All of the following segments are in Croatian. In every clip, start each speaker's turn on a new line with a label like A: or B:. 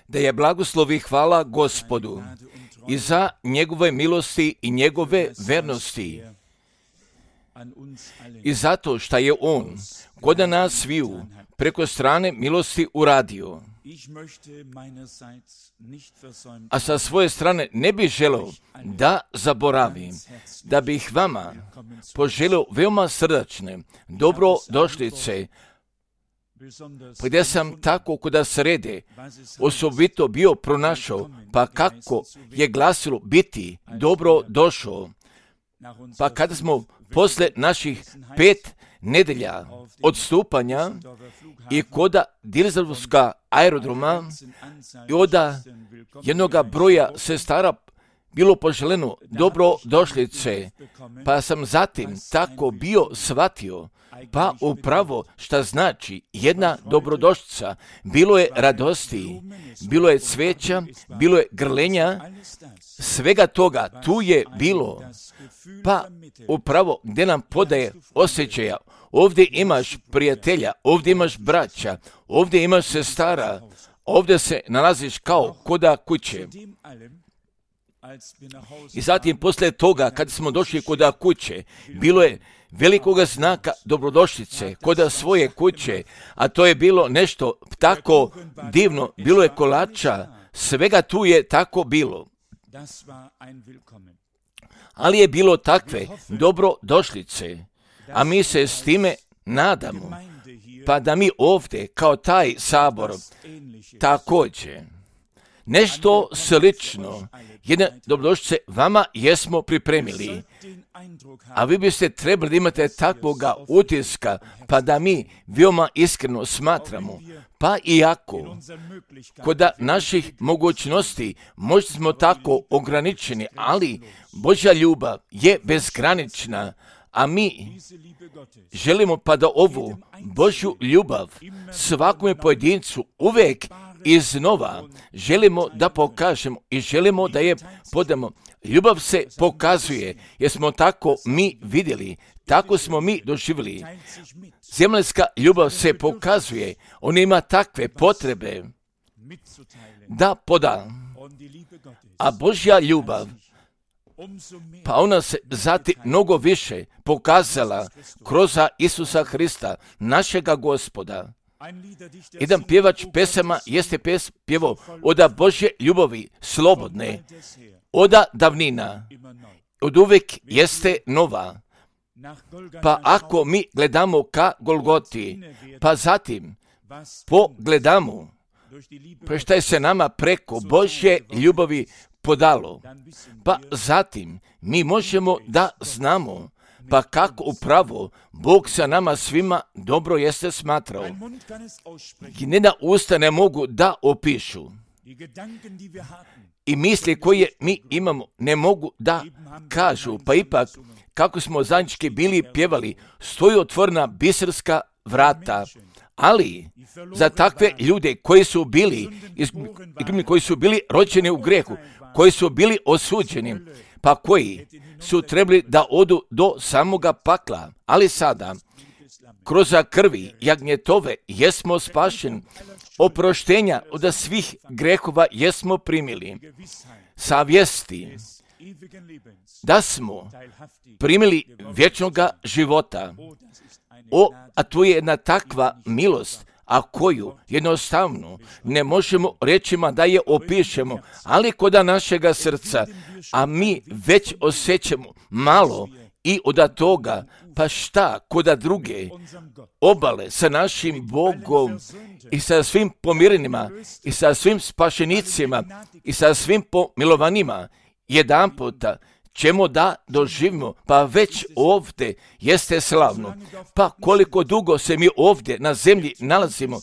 A: Da je blagoslov i hvala Gospodu i za njegove milosti i njegove vernosti i zato što je on kod nas sviju preko strane milosti uradio. A sa svoje strane ne bih želeo da zaboravim, da bih vama poželio veoma srdačne dobrodošlice, gdje sam tako kuda srede osobito bio pronašao, pa kako je glasilo biti dobro došao. Pa kada smo posle naših 5 nedelja odstupanja i koda Düsseldorfska aerodroma i od jednoga broja sestara bilo poželjeno dobrodošlice, pa sam zatim tako bio shvatio, pa upravo šta znači jedna dobrodošlica. Bilo je radosti, bilo je cveća, bilo je grlenja, svega toga tu je bilo, pa upravo gdje nam podaje osjećaja. Ovdje imaš prijatelja, ovdje imaš braća, ovdje imaš sestara, ovdje se nalaziš kao koda kuće. I zatim poslije toga, kad smo došli koda kuće, bilo je velikoga znaka dobrodošlice koda svoje kuće, a to je bilo nešto tako divno, bilo je kolača, svega tu je tako bilo. Ali je bilo takve dobrodošlice, a mi se s time nadamo, pa da mi ovdje kao taj sabor također nešto slično, jedne dobrodošlice vama jesmo pripremili, a vi biste trebali da imate takvoga utiska, pa da mi veoma iskreno smatramo, pa iako kod naših mogućnosti možda smo tako ograničeni, ali Božja ljubav je bezgranična, a mi želimo pa da ovu Božju ljubav svakome pojedincu uvijek iznova želimo da pokažemo i želimo da je podamo. Ljubav se pokazuje, jer smo tako mi vidjeli, tako smo mi doživjeli. Zemaljska ljubav se pokazuje, ona ima takve potrebe da poda. A Božja ljubav, pa ona se zatim mnogo više pokazala kroz Isusa Hrista, našega Gospoda. Jedan pjevač pesama jeste pjevao od Božje ljubavi slobodne, od davnina, od uvijek jeste nova. Pa ako mi gledamo ka Golgoti, pa zatim pogledamo pa šta je se nama preko Božje ljubavi podalo, pa zatim mi možemo da znamo pa kako upravo Bog sa nama svima dobro jeste smatrao. I njena usta ne mogu da opišu. I misli koje mi imamo ne mogu da kažu, pa ipak kako smo zajednički bili pjevali, stoji otvorena biserska vrata. Ali za takve ljude koji su bili rođeni u grehu, koji su bili osuđeni, pa koji su trebali da odu do samoga pakla, ali sada kroz krvi jagnjetove jesmo spašeni, oproštenja od svih grehova jesmo primili, savjesti da smo primili vječnoga života. A to je jedna takva milost, a koju jednostavno ne možemo rečima da je opišemo, ali koda našega srca, a mi već osjećamo malo i od toga, pa šta koda druge obale sa našim Bogom i sa svim pomirenima i sa svim spašenicima i sa svim pomilovanima, jedan puta ćemo da doživimo, pa već ovdje jeste slavno. Pa koliko dugo se mi ovdje na zemlji nalazimo,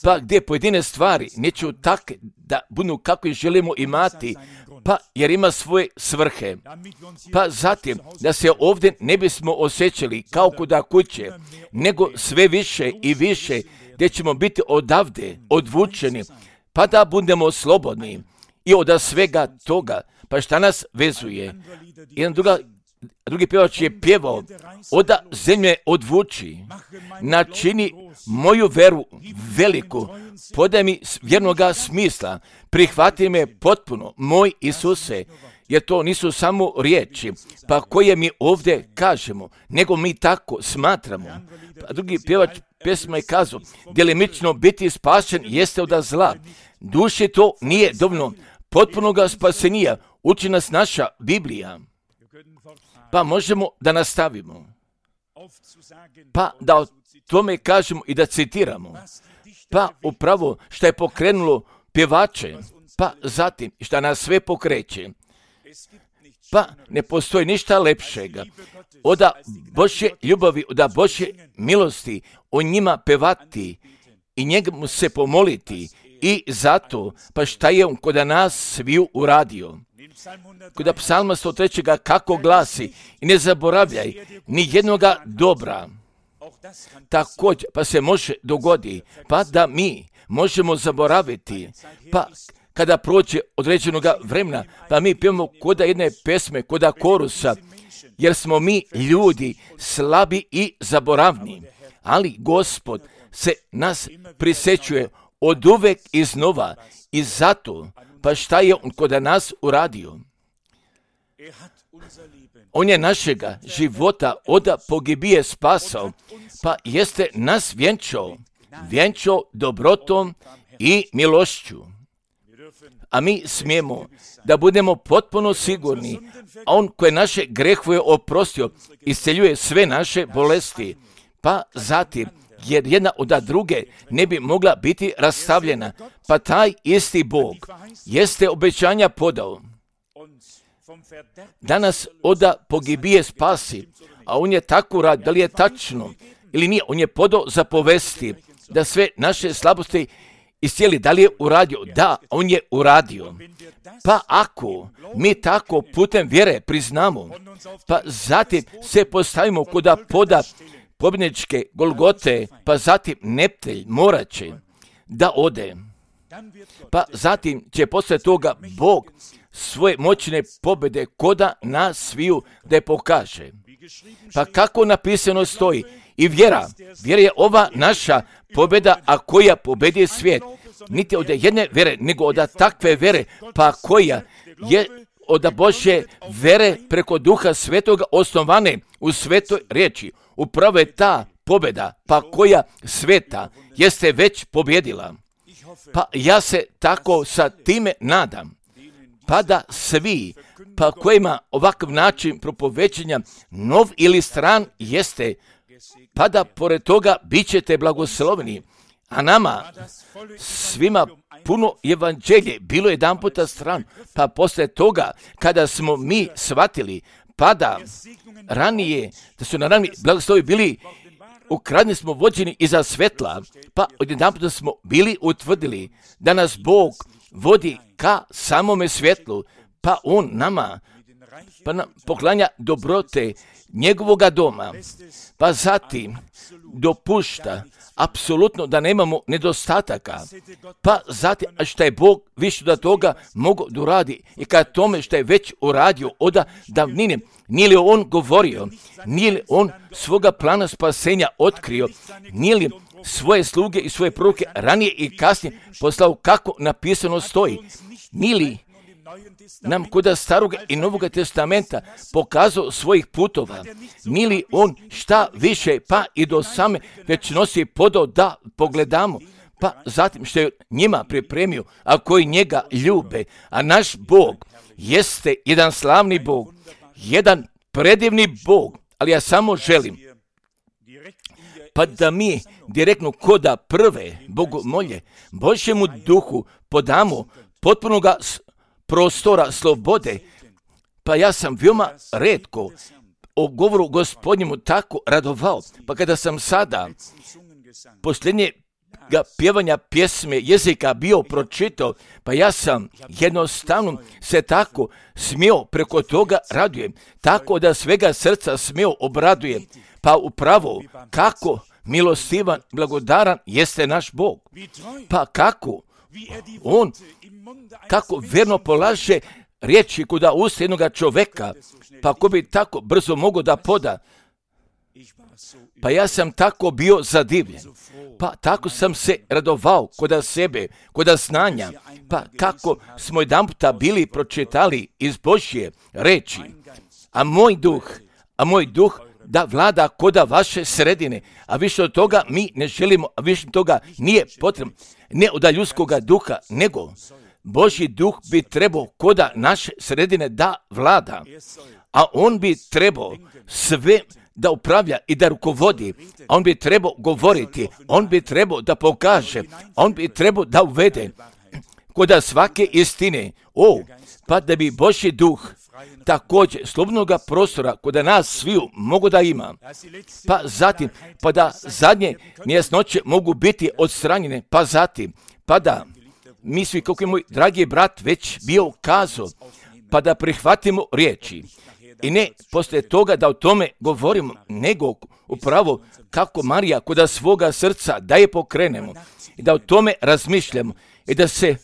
A: pa gdje pojedine stvari neću tak da budu kako ih želimo imati, pa jer ima svoje svrhe. Pa zatim da se ovdje ne bismo osjećali kao kuda kuće, nego sve više i više gdje ćemo biti odavde odvučeni, pa da budemo slobodni i od svega toga. Pa šta nas vezuje? Jedna druga drugi pjevač je pjevao, oda zemlje odvuči, načini moju veru veliku, podaj mi vjernoga smisla, prihvati me potpuno, moj Isuse, jer to nisu samo riječi, pa koje mi ovdje kažemo, nego mi tako smatramo. Pa drugi pjevač pjesma je kazao, djelimično biti spašen jeste od zla. Duši to nije dovoljno potpunoga spasenija, uči nas naša Biblija. Pa možemo da nastavimo. Pa da o tome kažemo i da citiramo. Pa upravo što je pokrenulo pjevače, pa zatim što nas sve pokreće. Pa ne postoji ništa lepšega od Božje ljubavi, od Božje milosti, o njima pevati i njemu se pomoliti. I zato, pa šta je on kod nas sviju uradio? Kod psalma 103. kako glasi, i ne zaboravljaj ni jednoga dobra. Također, pa se može dogodi, pa da mi možemo zaboraviti, pa kada prođe određenoga vremena, pa mi pijemo koda jedne pesme, koda korusa, jer smo mi ljudi slabi i zaboravni. Ali Gospod se nas prisjećuje od uvek iznova i zato, pa šta je on kod nas uradio? On je našega života od pogibije spasao, pa jeste nas vjenčao dobrotom i milošću. A mi smijemo da budemo potpuno sigurni, a on koje naše grehove oprostio, isceljuje sve naše bolesti, pa zatim, jer jedna od druge ne bi mogla biti rastavljena, pa taj isti Bog jeste obećanja podao. Danas od pogibije spasi, a on je tako rad, da li je tačno ili nije, on je podao zapovesti da sve naše slabosti iscijeli. Da li je uradio? Da, on je uradio. Pa ako mi tako putem vjere priznamo, pa zatim se postavimo kod poda pobjedničke Golgote, pa zatim neptelj morat će da ode. Pa zatim će poslije toga Bog svoje moćne pobjede koda nas sviju da je pokaže. Pa kako napisano stoji, i vjera je ova naša pobjeda, a koja pobjedi svijet. Niti od jedne vjere, nego od takve vjere, pa koja je od Božje vjere preko Duha Svetoga osnovane u svetoj riječi. Upravo je ta pobjeda, pa koja sveta jeste već pobjedila. Pa ja se tako sa time nadam, pa da svi, pa kojima ovakav način propovećenja nov ili stran jeste, pa da pored toga bit ćete blagosloveni. A nama svima puno evanđelje bilo jedan puta stran, pa poslije toga kada smo mi shvatili, pa da ranije, da su na rani blagoslovi bili ukradni smo vođeni iza svetla, pa odjedan puta smo bili utvrdili da nas Bog vodi ka samome svjetlu, pa on nama pa nam poklanja dobrote njegovoga doma, pa zatim dopušta apsolutno da nemamo nedostataka, pa zatim što je Bog više od toga mogao da uradi i kad tome što je već uradio od davnine, nije li on govorio, nije li on svoga plana spasenja otkrio, nije li svoje sluge i svoje proroke ranije i kasnije poslao kako napisano stoji, nije li nam kod Staroga i Novoga testamenta pokazao svojih putova, nije li on šta više pa i do same večnosti podao da pogledamo, pa zatim što je njima pripremio, a koji njega ljube, a naš Bog jeste jedan slavni Bog, jedan predivni Bog, ali ja samo želim pa da mi direktno koda prve bogomolje Božjemu duhu podamo potpunoga prostora slobode, pa ja sam veoma retko o govoru Gospodnjemu tako radovao, pa kada sam sada posljednjega pjevanja pjesme jezika bio pročitao, pa ja sam jednostavno se tako smio preko toga radujem, tako da svega srca smio obraduje, pa upravo kako milostivan, blagodaran jeste naš Bog, pa kako on, kako verno polaže riječi kuda usta jednoga čoveka, pa ko bi tako brzo mogao da poda. Pa ja sam tako bio zadivljen. Pa tako sam se radovao koda sebe, koda znanja. Pa kako smo jedanputa bili pročitali iz Božje reči. A moj duh da vlada koda vaše sredine, a više od toga mi ne želimo, a više od toga nije potrebno, ne od ljudskoga duha, nego Božji duh bi trebao koda naše sredine da vlada, a on bi trebao sve da upravlja i da rukovodi, a on bi trebao govoriti, on bi trebao da pokaže, on bi trebao da uvede koda svake istine, pa da bi Božji duh također slobodnoga prostora koda nas sviju mogu da ima, pa zatim, pa da zadnje nejasnoće mogu biti odstranjene, pa zatim, pa da mi svi, kako je moj dragi brat već bio kazao, pa da prihvatimo riječi i ne poslije toga da o tome govorimo, nego upravo kako Marija koda svoga srca da je pokrenemo i da o tome razmišljamo i da se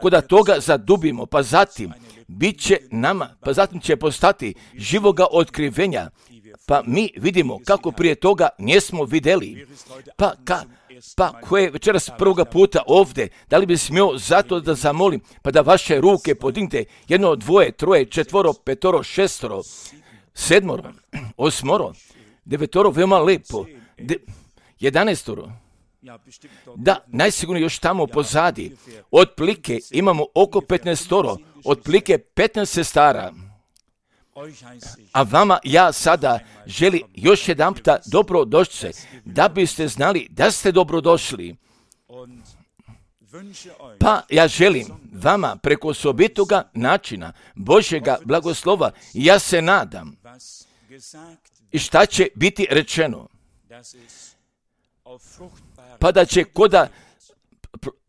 A: koda toga zadubimo, pa zatim bit će nama, pa zatim će postati živoga otkrivenja, pa mi vidimo kako prije toga nismo vidjeli. Pa ko je večeras prvoga puta ovdje, da li bi smio zato da zamolim, pa da vaše ruke podignete, 1, 2, 3, 4, 5, 6, 7, 8, 9, veoma lepo, 11. Da, najsigurnije još tamo pozadi, otplike imamo oko 15, otplike 15 sestara. A vama ja sada želim još jedan puta dobrodošlice, da biste znali da ste dobrodošli. Pa ja želim vama preko osobitoga načina Božjega blagoslova, ja se nadam, i šta će biti rečeno, pa da će koda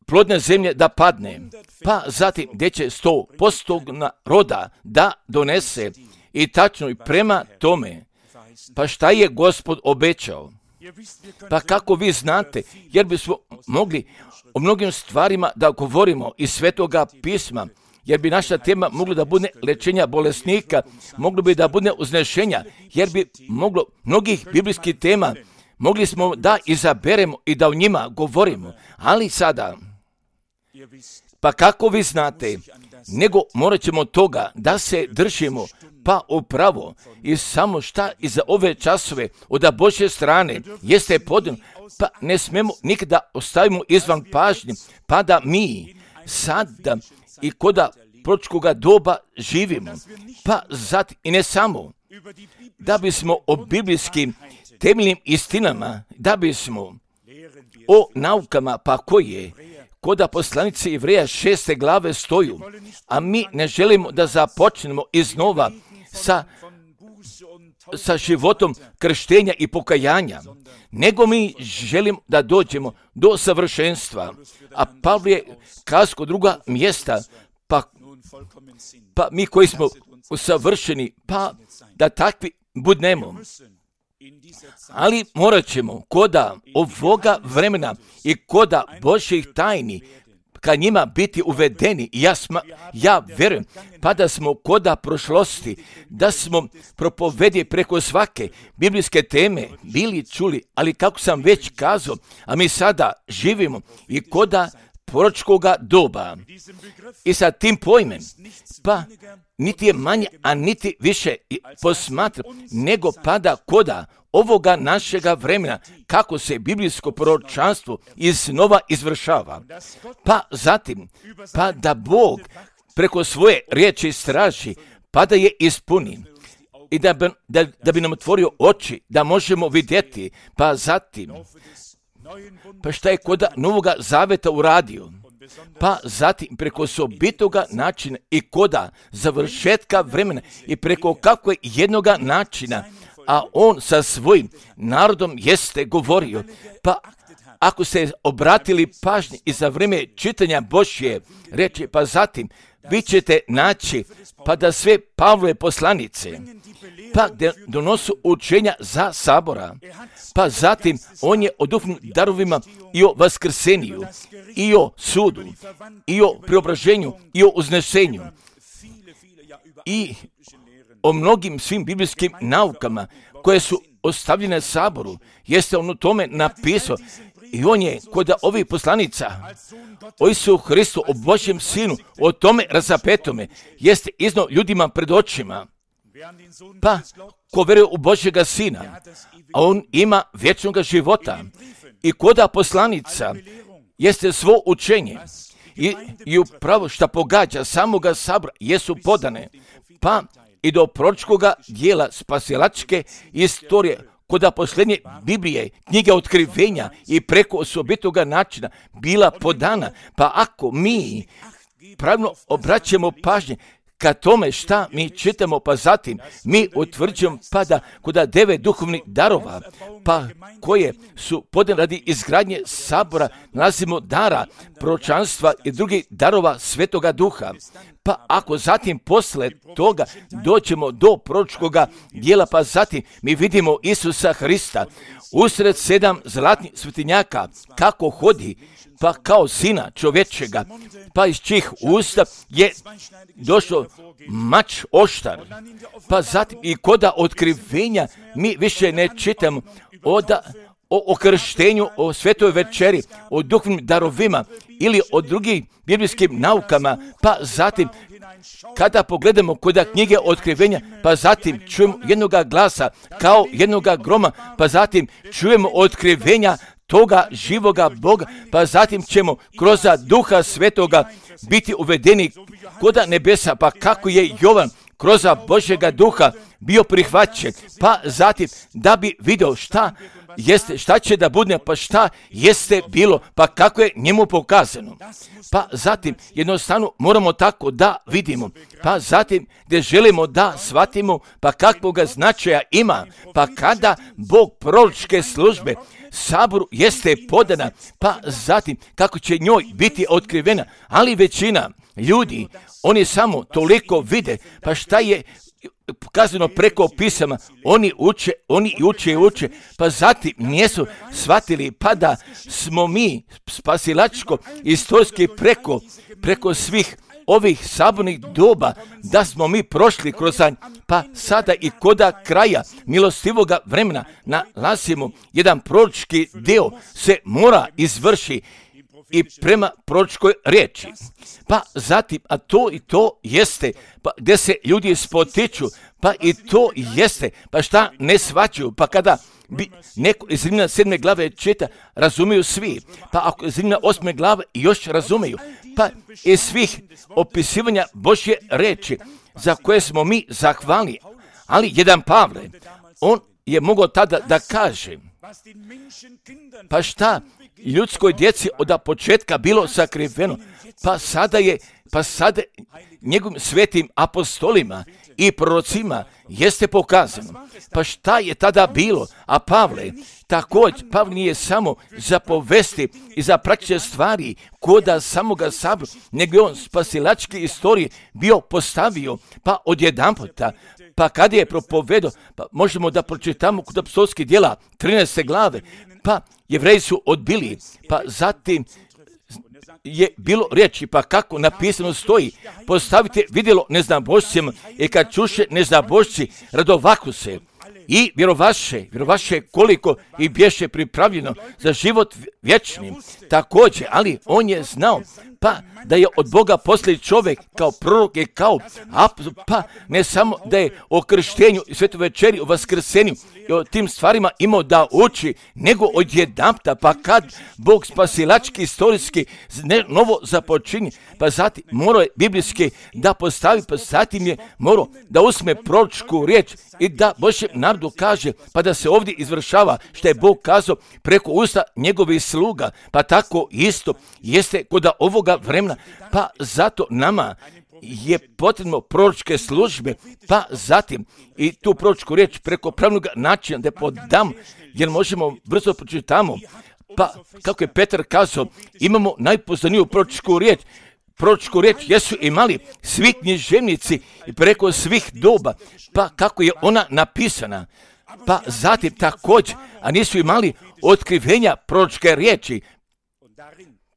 A: plodne zemlje da padne, pa zatim gdje će 100% roda da donese i tačno i prema tome, pa šta je Gospod obećao. Pa kako vi znate, jer bismo mogli o mnogim stvarima da govorimo iz Svetoga pisma, jer bi naša tema mogla da bude lečenja bolesnika, moglo bi da bude uznešenja, jer bi moglo mnogih biblijskih tema, mogli smo da izaberemo i da o njima govorimo, ali sada, pa kako vi znate, nego morat ćemo toga da se držimo, pa upravo i samo šta iza ove časove od Božje strane jeste podno, pa ne smemo nikada ostavimo izvan pažnje, pa da mi sada i koda proročkoga doba živimo, pa zatim i ne samo da bismo o biblijskim temeljnim istinama, da bismo o naukama, pa koje koda poslanice Jevreja 6. glave stoju, a mi ne želimo da započnemo iznova sa životom krštenja i pokajanja, nego mi želimo da dođemo do savršenstva. A Pavle je kazao druga mjesta, pa mi koji smo savršeni, pa da takvi budnemo. Ali morat ćemo koda ovoga vremena i koda Božjih tajni ka njima biti uvedeni. Ja vjerujem, pa da smo koda prošlosti, da smo propovedi preko svake biblijske teme bili čuli, ali kako sam već kazao, a mi sada živimo i koda proročkoga doba. I sa tim pojmem, pa niti je manje, a niti više posmatra, nego pada koda ovoga našega vremena, kako se biblijsko proročanstvo iznova izvršava. Pa zatim, pa da Bog preko svoje riječi straži, pa da je ispuni i da bi nam otvorio oči, da možemo vidjeti, pa zatim, pa šta je koda Novoga Zaveta uradio, pa zatim preko osobitoga načina i koda završetka vremena i preko kako je jednoga načina, a on sa svojim narodom jeste govorio. Pa ako ste obratili pažnji i za vrijeme čitanja Božje riječi, pa zatim vi ćete naći pa da sve Pavlove poslanice, pa gdje donosu učenja za sabora, pa zatim on je o duhovnim darovima i o vaskrseniju, i o sudu, i o preobraženju, i o uznešenju, i o mnogim svim biblijskim naukama koje su ostavljene saboru, jeste on u tome napisao i on je kod ovih poslanica o Isusu Hristu, o Božjem Sinu, o tome razapetome, jeste iznio ljudima pred očima. Pa, ko veruje u Božjega Sina, a on ima vječnog života. I koda poslanica jeste svo učenje i upravo šta pogađa samoga sabora jesu podane, pa i do proročkoga dijela spasilačke istorije, koda posljednje Biblije, knjige otkrivenja i preko osobitoga načina bila podana. Pa ako mi pravilno obraćamo pažnje ka tome šta mi čitamo, pa zatim mi utvrđujemo pa da koda 9 duhovnih darova, pa koje su podane radi izgradnje sabora, nalazimo dara proročanstva i drugih darova Svetoga Duha. Pa ako zatim posle toga dođemo do proročkoga dijela, pa zatim mi vidimo Isusa Hrista usred 7 zlatnih svetinjaka kako hodi, pa kao sina čovječega, pa iz čijih usta je došao mač oštar. Pa zatim i koda otkrivenja mi više ne čitamo o krštenju, o svetoj večeri, o duhovnim darovima ili o drugim biblijskim naukama, pa zatim kada pogledamo kod knjige otkrivenja, pa zatim čujemo jednoga glasa kao jednoga groma, pa zatim čujemo otkrivenja toga živoga Boga, pa zatim ćemo kroz Duha Svetoga biti uvedeni koda nebesa, pa kako je Jovan kroz Božjega Duha bio prihvaćen, pa zatim da bi vidio šta će da bude, pa šta jeste bilo, pa kako je njemu pokazano. Pa zatim jednostavno moramo tako da vidimo, pa zatim gdje želimo da shvatimo, pa kakvoga značaja ima, pa kada Bog proročke službe saboru jeste podana, pa zatim kako će njoj biti otkrivena, ali većina ljudi, oni samo toliko vide, pa šta je pokazano preko pisama, oni uče, pa zatim nisu shvatili pa da smo mi spasilačko istorijski preko svih ovih sabornih doba, da smo mi prošli kroz, pa sada i koda kraja milostivoga vremena nalazimo jedan proročki dio se mora izvrši i prema proročkoj riječi. Pa zatim, a to i to jeste, pa gdje se ljudi spotiču, pa i to jeste, pa šta ne shvaćaju, pa kada bi neko iz Rimljana 7. glave čita, razumiju svi, pa ako iz Rimljana 8. glave još razumiju, pa iz svih opisivanja Božje riječi za koje smo mi zahvalni, ali jedan Pavle, on je mogao tada da kaže, pa šta ljudskoj djeci od početka bilo sakriveno, pa sada njegovim svetim apostolima i prorocima jeste pokazano. Pa šta je tada bilo? A Pavle, također, Pavle nije samo za povesti i za praćenje stvari koda samoga sabora, nego je on spasilačke istorije bio postavio, pa odjedanputa, pa kada je propovedao, pa možemo da pročitamo kod apostolskih djela 13. glave, pa Jevreji su odbili, pa zatim je bilo riječi, pa kako napisano stoji, postavite vidjelo neznabošcima i kad čuše neznabošci radovaku se i vjerovaše koliko i bješe pripravljeno za život vječni. Također, ali on je znao pa da je od Boga poslije čovjek kao prorok i kao pa ne samo da je o krštenju i svetoj večeri, o vaskrsenju i o tim stvarima imao da uči, nego odjedanputa, pa kad Bog spasilački, istorijski novo započinje, pa zatim morao je biblijski da postavi, pa zatim je morao da usme proročku riječ i da Božjem narodu kaže, pa da se ovdje izvršava što je Bog kazao preko usta njegovih sluga, pa tako isto jeste kod ovoga vremena, pa zato nama je potrebno proročke službe, pa zatim i tu proročku riječ preko pravnog načina da podam, jer možemo brzo pročitamo, pa kako je Petar kazao, imamo najpoznaniju proročku riječ. Proročku riječ jesu imali svi književnici preko svih doba, pa kako je ona napisana, pa zatim također, a nisu imali otkrivenja proročke riječi,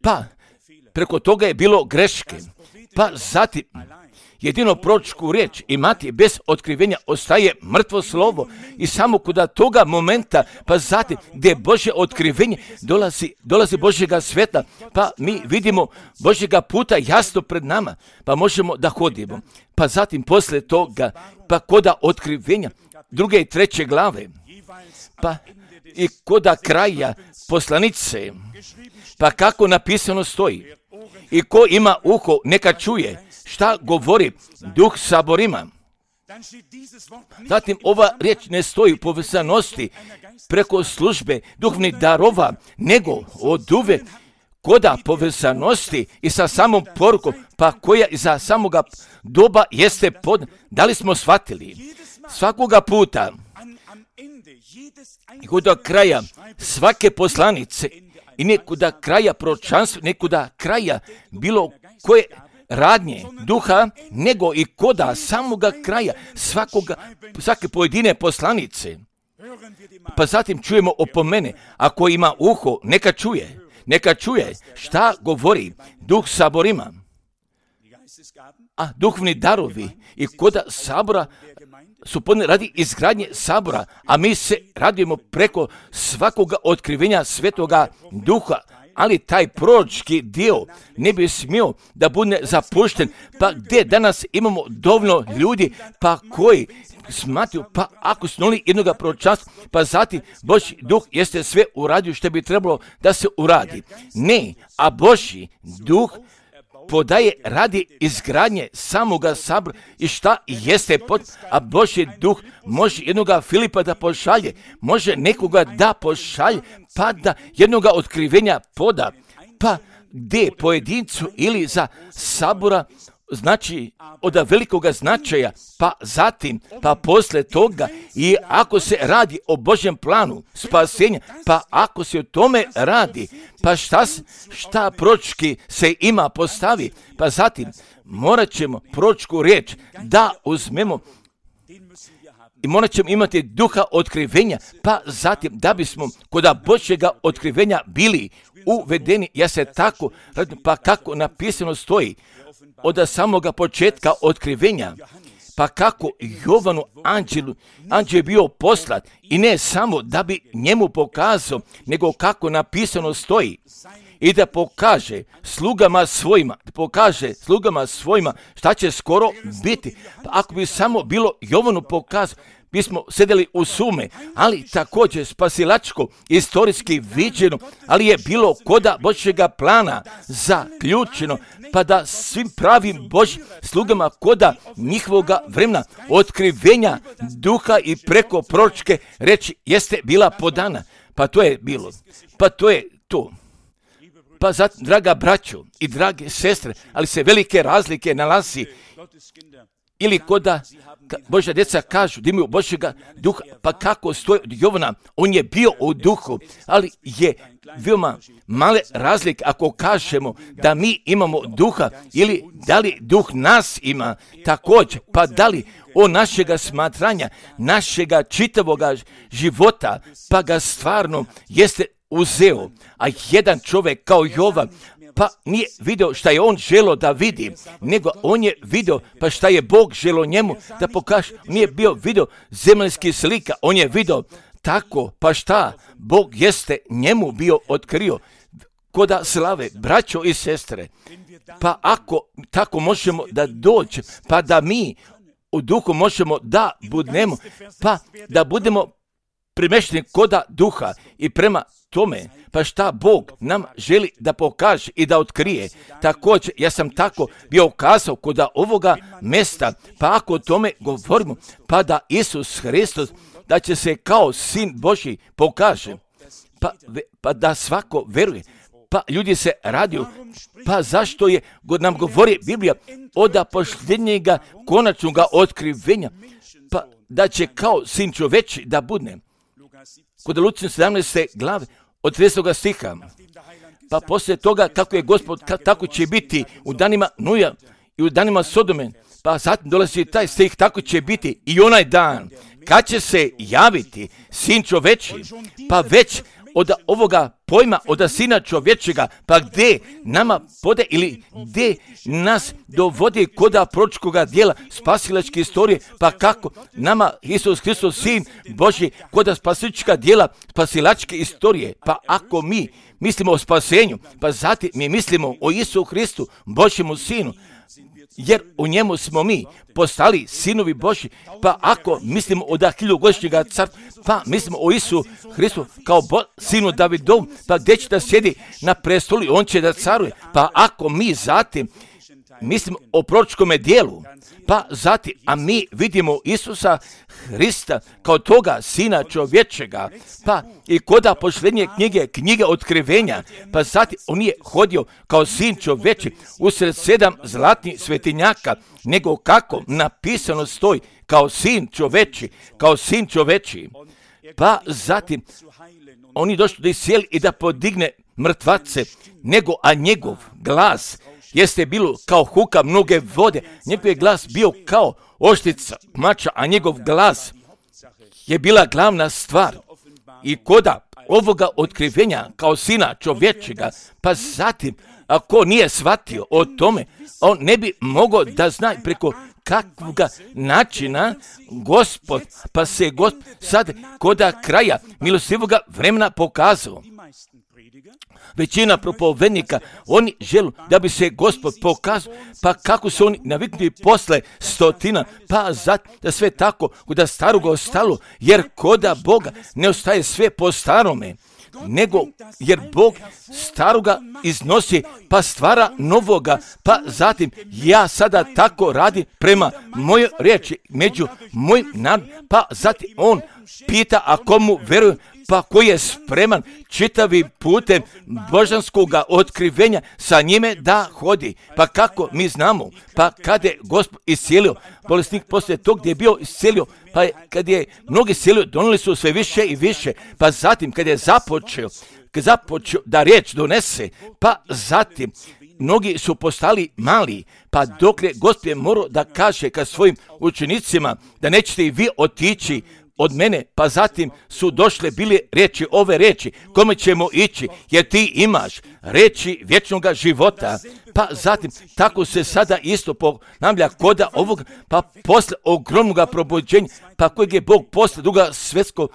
A: pa preko toga je bilo greške, pa zatim jedino proročku riječ imati bez otkrivenja ostaje mrtvo slovo i samo kod toga momenta, pa zatim gdje Božje otkrivenje dolazi Božjega svjetla, pa mi vidimo Božjega puta jasno pred nama, pa možemo da hodimo. Pa zatim poslije toga, pa koda otkrivenja 2. i 3. glave, pa i koda kraja poslanice, pa kako napisano stoji. I ko ima uho, neka čuje šta govori Duh saborima. Zatim ova riječ ne stoji u povezanosti preko službe duhovnih darova, nego od uvek koda povezanosti i sa samom porukom, pa koja iza samoga doba jeste da li smo shvatili svakoga puta i kod kraja svake poslanice i nekuda kraja proročanstva, nekuda kraja bilo koje radnje duha, nego i koda samoga kraja svake pojedine poslanice. Pa zatim čujemo opomene, ako ima uho, neka čuje šta govori Duh saborima. A duhovni darovi i koda sabora su radi izgradnje sabora, a mi se radujemo preko svakoga otkrivenja Svetoga Duha, ali taj proročki dio ne bi smio da bude zapušten, pa gdje danas imamo dovoljno ljudi, pa koji smatruju, pa ako su nuli jednoga proročanstva, pa zatim Božji Duh jeste sve uradio što bi trebalo da se uradi. Ne, a Božji Duh podaje radi izgradnje samoga sabora i šta jeste a Božji Duh može jednoga Filipa da pošalje, može nekoga da pošalje, pa da jednoga otkrivenja poda, pa gdje pojedincu ili za sabora znači od velikoga značaja, pa zatim, pa poslije toga i ako se radi o Božjem planu spasenja, pa ako se o tome radi, pa šta proročki se ima postavi, pa zatim morat ćemo proročku riječ da uzmemo i morat ćemo imati duha otkrivenja, pa zatim da bismo kod Božjega otkrivenja bili uvedeni, ja se tako, pa kako napisano stoji, od samoga početka otkrivenja, pa kako Jovanu anđel je bio poslat i ne samo da bi njemu pokazao, nego kako napisano stoji i da pokaže slugama svojima šta će skoro biti. Pa ako bi samo bilo Jovanu pokazao, bismo sedeli u sume, ali također spasilačko, istorijski viđeno, ali je bilo koda Božjega plana zaključeno, pa da svim pravim Božjim slugama koda njihovoga vremena otkrivenja duha i preko proročke reči jeste bila podana. Pa to je bilo. Pa to je to. Pa zato, draga braćo i drage sestre, ali se velike razlike nalazi ili koda Božja djeca kažu da imaju Božjega duha, pa kako stoji od Jovana, on je bio u duhu, ali je veoma male razlike ako kažemo da mi imamo duha ili da li duh nas ima također, pa da li od našega smatranja, našega čitavoga života, pa ga stvarno jeste uzeo, a jedan čovjek kao Jovan, pa nije vidio šta je on želo da vidi, nego on je vidio pa šta je Bog želo njemu da pokaže. Nije bio vidio zemaljski slika, on je vidio tako, pa šta Bog jeste njemu bio otkrio koda slave, braćo i sestre. Pa ako tako možemo da dođe, pa da mi u duhu možemo da budemo, pa da budemo primešteni koda duha i prema tome, pa šta Bog nam želi da pokaže i da otkrije. Također, ja sam tako bio kazao kod ovoga mjesta, pa ako o tome govorimo, pa da Isus Hristos, da će se kao Sin Božji pokaže, pa da svako veruje, pa ljudi se radiju, pa zašto je, nam govori Biblija, od posljednjega konačnog otkrivenja, pa da će kao Sin čoveči da budne. Kod Lučne 17. glave, od 30. stiha, pa poslije toga kako je Gospod, tako će biti u danima Nuja i u danima Sodome, pa zatim dolazi taj stih, tako će biti i onaj dan, kad će se javiti Sin čoveči, pa već od ovoga pojma, od Sina čovječega, pa gdje nama pode ili gdje nas dovodi koda proročkoga dijela spasilačke istorije, pa kako nama Isus Hristos, Sin Božji, koda spasilačka dijela spasilačke istorije, pa ako mi mislimo o spasenju, pa zatim mi mislimo o Isu Hristu, Božjemu Sinu, jer u njemu smo mi postali sinovi Božji, pa ako mislimo o hiljadugodišnjega carstva, pa mislimo o Isu Hristu kao sinu Davidov, pa gdje će da sjedi na prestolu i on će da caruje, pa ako mi zatim mislimo o proročkome dijelu, pa zatim, a mi vidimo Isusa Hrista kao toga Sina čovječega, pa i koda posljednje knjige otkrivenja, pa zatim on je hodio kao Sin čovječi usred 7 zlatnih svetinjaka, nego kako napisano stoji kao Sin čovječi, pa zatim oni došli da iscijeli i da podigne mrtvace, nego a njegov glas jeste bilo kao huka mnoge vode, njegov je glas bio kao oštrica mača, a njegov glas je bila glavna stvar. I koda ovoga otkrivenja kao Sina čovječega, pa zatim, ako nije shvatio o tome, on ne bi mogao da zna preko kakvoga načina Gospod, pa se Gospod sad koda kraja milostivoga vremena pokazao. Većina propovednika, oni žele da bi se Gospod pokazao, pa kako su oni naviknuti posle stotina, pa zato da sve tako koda staroga ostalo, jer koda Boga ne ostaje sve po starome, nego jer Bog staroga iznosi, pa stvara novoga, pa zatim ja sada tako radim prema mojoj riječi, među mojim narodom, pa zatim on pita, a komu veruju, pa koji je spreman čitavi putem božanskoga otkrivenja sa njime da hodi. Pa kako mi znamo, pa kada je Gospod iscijelio bolesnik poslije tog gdje je bio iscijelio, pa kad je mnogi iscijelio, donijeli su sve više i više, pa zatim kad je započeo da riječ donese, pa zatim mnogi su postali mali, pa dok je Gospod je morao da kaže ka svojim učenicima da nećete i vi otići od mene, pa zatim su došle bile riječi, ove riječi, kome ćemo ići, jer ti imaš riječi vječnoga života. Pa zatim, tako se sada isto ponavlja koda ovog, pa posle ogromnog probuđenja, pa kojeg je Bog posle Drugog svjetskog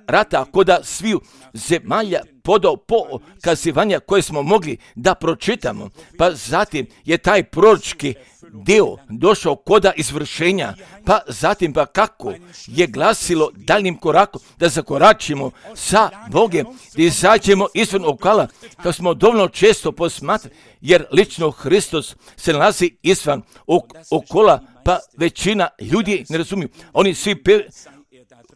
A: rata, koda sviju zemalja podao pokazivanja koje smo mogli da pročitamo, pa zatim je taj proročki dio došao koda izvršenja, pa zatim pa kako je glasilo daljnim korakom da zakoračimo sa Bogem, da izađemo izvan okala, kao smo dovoljno često posmatrali, jer lično Hristos se nalazi izvan okola, pa većina ljudi ne razumiju. Oni svi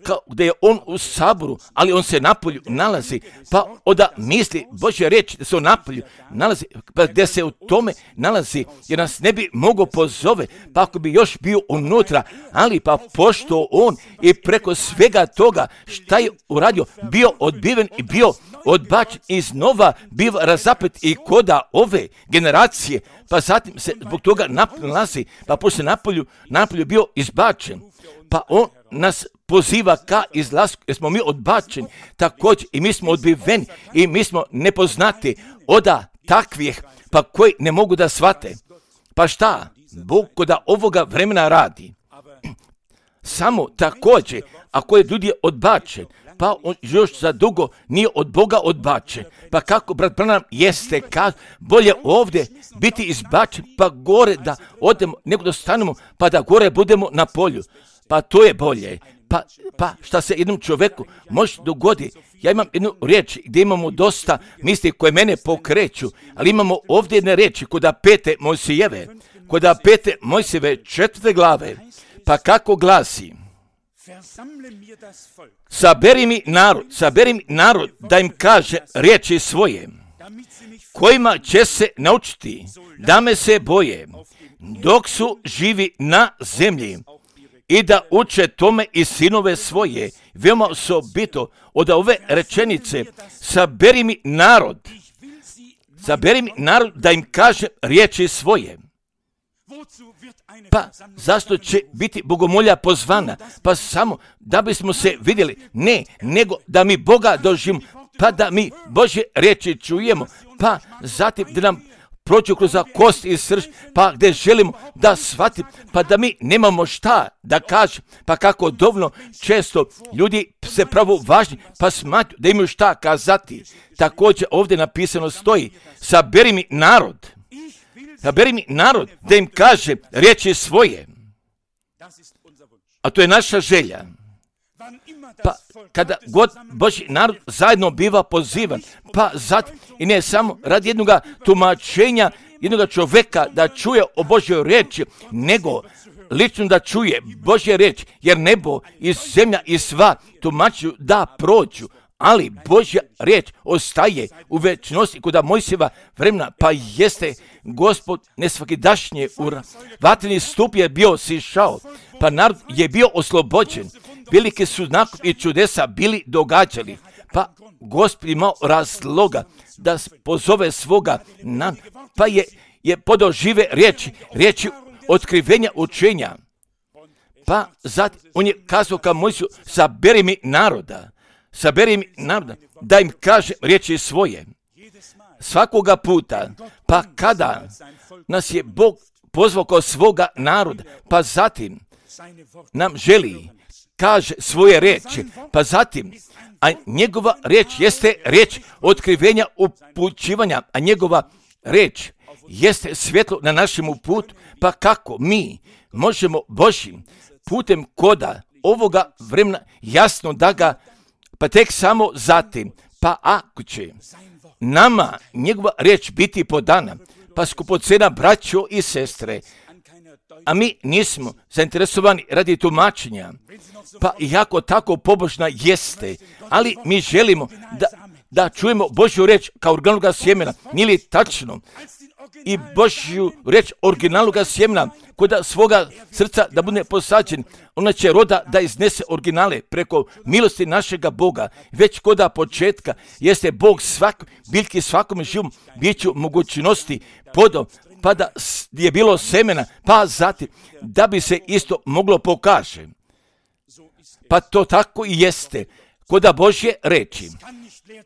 A: kao da je on u saboru, ali on se napolju nalazi, pa onda misli Božja riječ da se on napolju nalazi, pa gdje se u tome nalazi, jer nas ne bi mogao pozove, pa ako bi još bio unutra, ali pa pošto on i preko svega toga šta je uradio, bio odbiven i bio odbačen iznova, bio razapet i koda ove generacije, pa zatim se zbog toga nalazi, pa pošto napolju bio izbačen, pa on nas poziva ka izlasku, jer smo mi odbačeni, također i mi smo odbiveni i mi smo nepoznati od takvih, pa koji ne mogu da shvate. Pa šta Bog koda ovoga vremena radi? Samo također, ako je ljudi odbačen, pa on još za dugo nije od Boga odbačen. Pa kako, brat Branham, jeste bolje ovdje biti izbačen, pa gore da odemo, nego da stanemo, pa da gore budemo na polju. Pa to je bolje. Pa šta se jednom čovjeku može dogoditi. Ja imam jednu riječ gdje imamo dosta misli koje mene pokreću, ali imamo ovdje jedne riječi koda 5. Mojsijeve 4. glave. Pa kako glasi? Saberi mi narod da im kaže riječi svoje, kojima će se naučiti da me se boje, dok su živi na zemlji, i da uče tome i sinove svoje. Veoma osobito od ove rečenice, saberi mi narod da im kaže riječi svoje. Pa zašto će biti bogomolja pozvana? Pa samo da bismo se vidjeli, ne, nego da mi Boga doživimo. pa da mi Božje riječi čujemo, pa zatim da nam prođu kroz kost i srž, pa gdje želimo da shvatimo, pa da mi nemamo šta da kažem, pa kako dovoljno često ljudi se pravo važni, pa smatruju da imaju šta kazati. Također ovdje napisano stoji, saberi mi narod da im kaže riječi svoje. A to je naša želja. Pa kada god Božji narod zajedno biva pozivan, pa zatim i ne samo radi jednog tumačenja, jednog čovjeka da čuje o Božjoj riječi, nego lično da čuje Božje riječi, jer nebo i zemlja i sva tumačuju da prođu, ali Božja riječ ostaje u večnosti kod Mojsijeva vremena, pa jeste Gospod nesvakidašnje vatreni stup je bio sišao, pa narod je bio oslobođen. Velike su znakovi i čudesa bili događali, pa Gospod imao razloga da pozove svoga naroda, pa je podao žive riječi otkrivenja učenja. Pa zatim on je kazao ka Mojsiju, saberi mi naroda, da im kaže riječi svoje. Svakoga puta, pa kada nas je Bog pozvao kao svoga naroda, pa zatim nam želi kaže svoje riječi, pa zatim, a njegova riječ jeste riječ otkrivenja, upućivanja, a njegova riječ jeste svjetlo na našemu putu, pa kako mi možemo Božjim putem koda ovoga vremena jasno da ga, pa tek samo zatim, pa ako će nama njegova riječ biti podana, pa skupocena braćo i sestre, a mi nismo zainteresovani radi tumačenja, pa iako tako pobožna jeste, ali mi želimo da čujemo Božju riječ kao originalnoga sjemena, nije li tačno? I Božju riječ originalnoga sjemena kod svoga srca da bude posađen, ona će roda da iznese originale preko milosti našega Boga. Već koda početka jeste Bog biljki svakom živom biću mogućnosti podao, pa da je bilo semena, pa zatim da bi se isto moglo pokaže. Pa to tako i jeste koda Božje reči.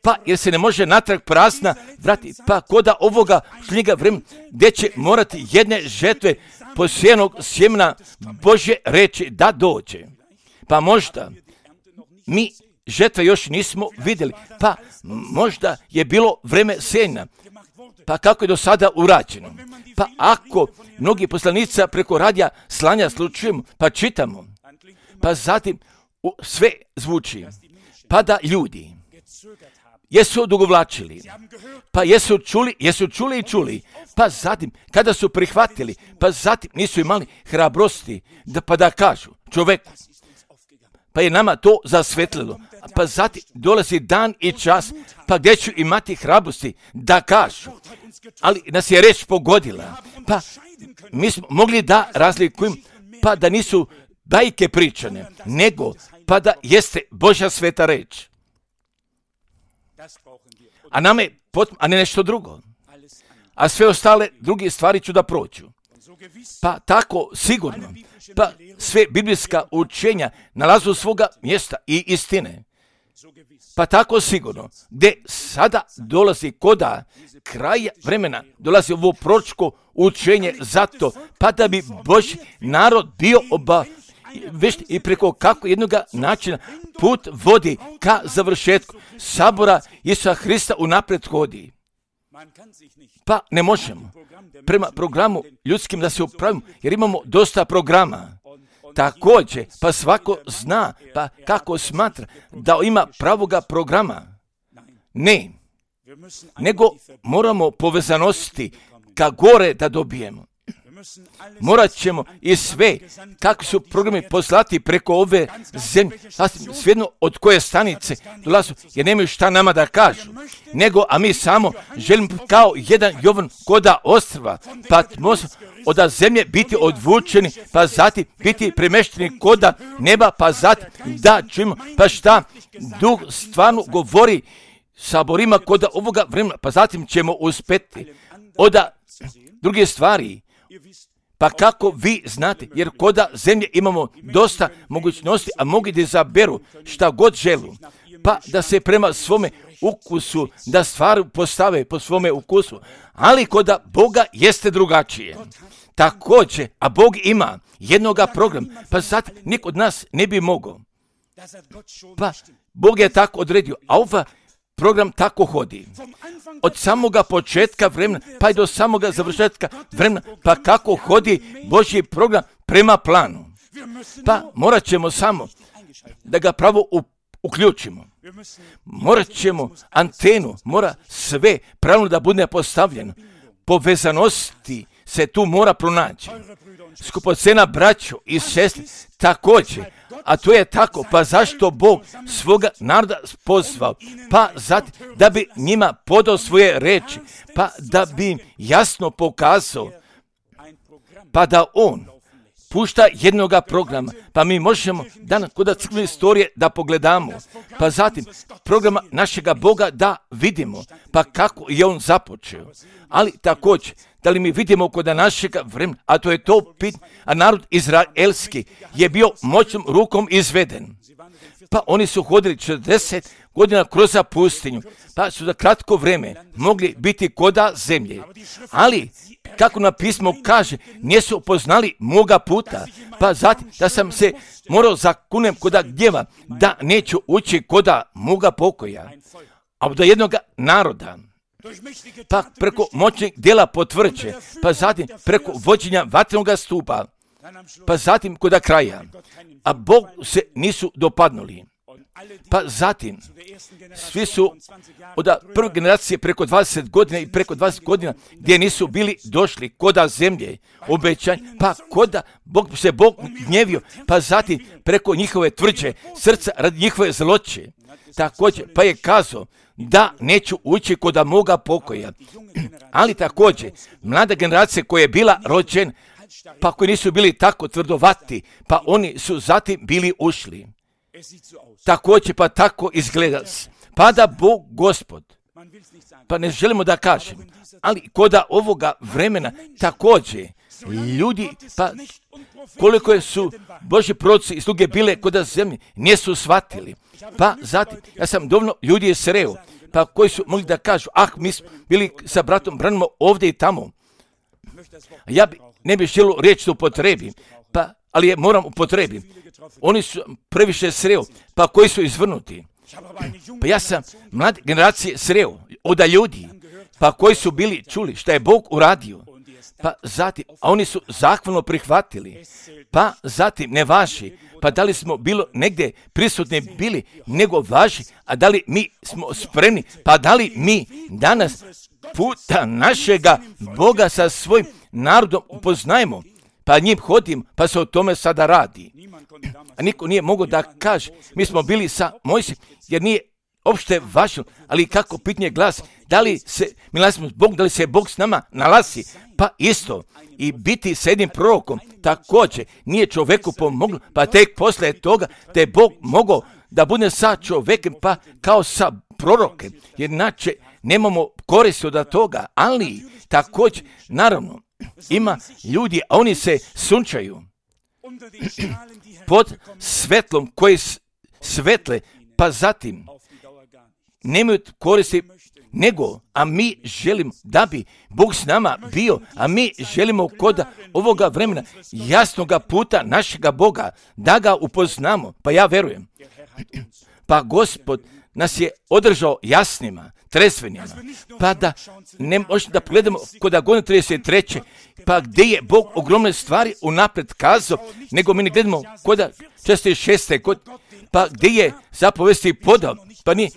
A: Pa jer se ne može natrag prazna vrati, pa koda ovoga šljega vremena gdje će morati jedne žetve posijenog sjemena Božje reči da dođe. Pa možda mi žetve još nismo vidjeli, pa možda je bilo vreme sjenja, pa kako je do sada urađeno. Pa ako mnogi poslanica preko radija slanja slučujemo, pa čitamo, pa zatim sve zvuči, pa da ljudi jesu odugovlačili, pa jesu čuli, pa zatim kada su prihvatili, pa zatim nisu imali hrabrosti pa da kažu čoveku, pa je nama to zasvetlilo, pa zatim dolazi dan i čas, pa gdje ću imati hrabrosti da kažu, ali nas je reč pogodila, pa mi smo mogli da razlikujemo, pa da nisu bajke pričane, nego pa da jeste Božja sveta reč. A nama je a ne nešto drugo. A sve ostale druge stvari ću da prođu. Pa tako sigurno, pa sve biblijska učenja nalazu svoga mjesta i istine. Pa tako sigurno, gdje sada dolazi koda kraja vremena, dolazi ovo proročko učenje zato, pa da bi Božji narod bio vešti i preko kako jednog načina put vodi ka završetku sabora Isusa Hrista unaprijed hodi. Pa ne možemo prema programu ljudskim da se upravimo, jer imamo dosta programa. Također, pa svako zna, pa kako smatra da ima pravoga programa. Ne, nego moramo povezanosti ka gore da dobijemo. Morat ćemo i sve, kako su programi poslati preko ove zemlje, svejedno od koje stanice dolazu, jer nemaju šta nama da kažu, nego, a mi samo želimo kao jedan Jovan koda ostrva, pa od zemlje biti odvučeni, pa zatim biti premešteni koda neba, pa zatim da čujemo, pa šta Duh stvarno govori saborima koda ovoga vremena, pa zatim ćemo uspeti od druge stvari. Pa kako vi znate, jer koda zemlje imamo dosta mogućnosti, a mogu da izaberu šta god želu, pa da se prema svome ukusu da stvar postave po svome ukusu, ali kod Boga jeste drugačije. Također, a Bog ima jednoga programa, pa sad niko od nas ne bi mogao. Pa Bog je tako odredio, a ovaj program tako hodi. Od samoga početka vremena, pa i do samoga završetka vremena, pa kako hodi Božji program prema planu. Pa morat ćemo samo da ga pravo uključimo. Morat ćemo antenu, mora sve pravilno da bude postavljeno. Povezanosti se tu mora pronaći. Skupocena braćo i sestre također, a to je tako, pa zašto Bog svoga naroda pozvao? Pa zato da bi njima podao svoje reči, pa da bi im jasno pokazao, pa da on pušta jednoga programa, pa mi možemo danas kod crkvene istorije da pogledamo, pa zatim programa našega Boga da vidimo, pa kako je on započeo. Ali također, da li mi vidimo kod našega vremena, a to je to pitanje, a narod izraelski je bio moćnom rukom izveden. Pa oni su hodili 40 godina kroz pustinju, pa su za kratko vrijeme mogli biti koda zemlje. Ali, kako na pismo kaže, nisu poznali moga puta, pa zatim da sam se morao zakunem koda gnjeva, da neću ući koda moga pokoja. A do jednoga naroda, pa preko moćnih djela potvrđe, pa zatim preko vođenja vatrenog stupa, pa zatim koda kraja, a Bog se nisu dopadnuli. Pa zatim, svi su od prve generacije preko 20 godina i preko 20 godina gdje nisu bili došli koda zemlje, obećanja, pa koda Bog gnjevio, pa zatim preko njihove tvrđe srca radi njihove zloće. Također, pa je kazao da neću ući koda moga pokoja. Ali također, mlada generacija koja je bila rođena, pa koji nisu bili tako tvrdovati, pa oni su zatim bili ušli. Također, pa tako izgleda. Pa da Bog Gospod, pa ne želimo da kažem, ali koda ovoga vremena također ljudi, pa koliko su Božji proroci i sluge bile koda zemlje, nisu shvatili. Pa zatim, ja sam dovoljno ljudi sreo, pa koji su mogli da kažu, mi smo bili sa bratom Branimo ovdje i tamo. Ja ne bih želio riječ da upotrebim, pa, ali je moram upotrebiti. Oni su previše sreo, pa koji su izvrnuti. Pa ja sam mlade generacije sreo od ljudi, pa koji su bili čuli šta je Bog uradio. Pa zatim, a oni su zahvalno prihvatili. Pa zatim, ne važi, pa da li smo bilo negdje prisutni bili, nego važi, a da li mi smo spremni, pa da li mi danas puta našega Boga sa svojim narodom upoznajemo, pa njim hodim, pa se o tome sada radi. A niko nije mogao da kaže, mi smo bili sa Mojsijem, jer nije opšte važno, ali kako pitanje glasi, da li se, mi nalazimo s Bogom, da li se Bog s nama nalazi, pa isto, i biti sa jednim prorokom, također, nije čovjeku pomoglo, pa tek poslije toga, da je Bog mogao da bude sa čovjekem, pa kao sa prorokem, jer inače nemamo koristi od toga, ali također, naravno, ima ljudi, a oni se sunčaju pod svetlom koji svetle, pa zatim nemaju koristi nego, a mi želimo da bi Bog s nama bio, a mi želimo kod ovoga vremena jasnoga puta našega Boga, da ga upoznamo, pa ja verujem. Pa Gospod nas je održao jasnima, trezvenima, pa da ne možemo da pogledamo kod godine 33. pa gdje je Bog ogromne stvari unapred kazao, nego mi ne gledamo kod 46. pa gdje je zapovesti podao, pa nije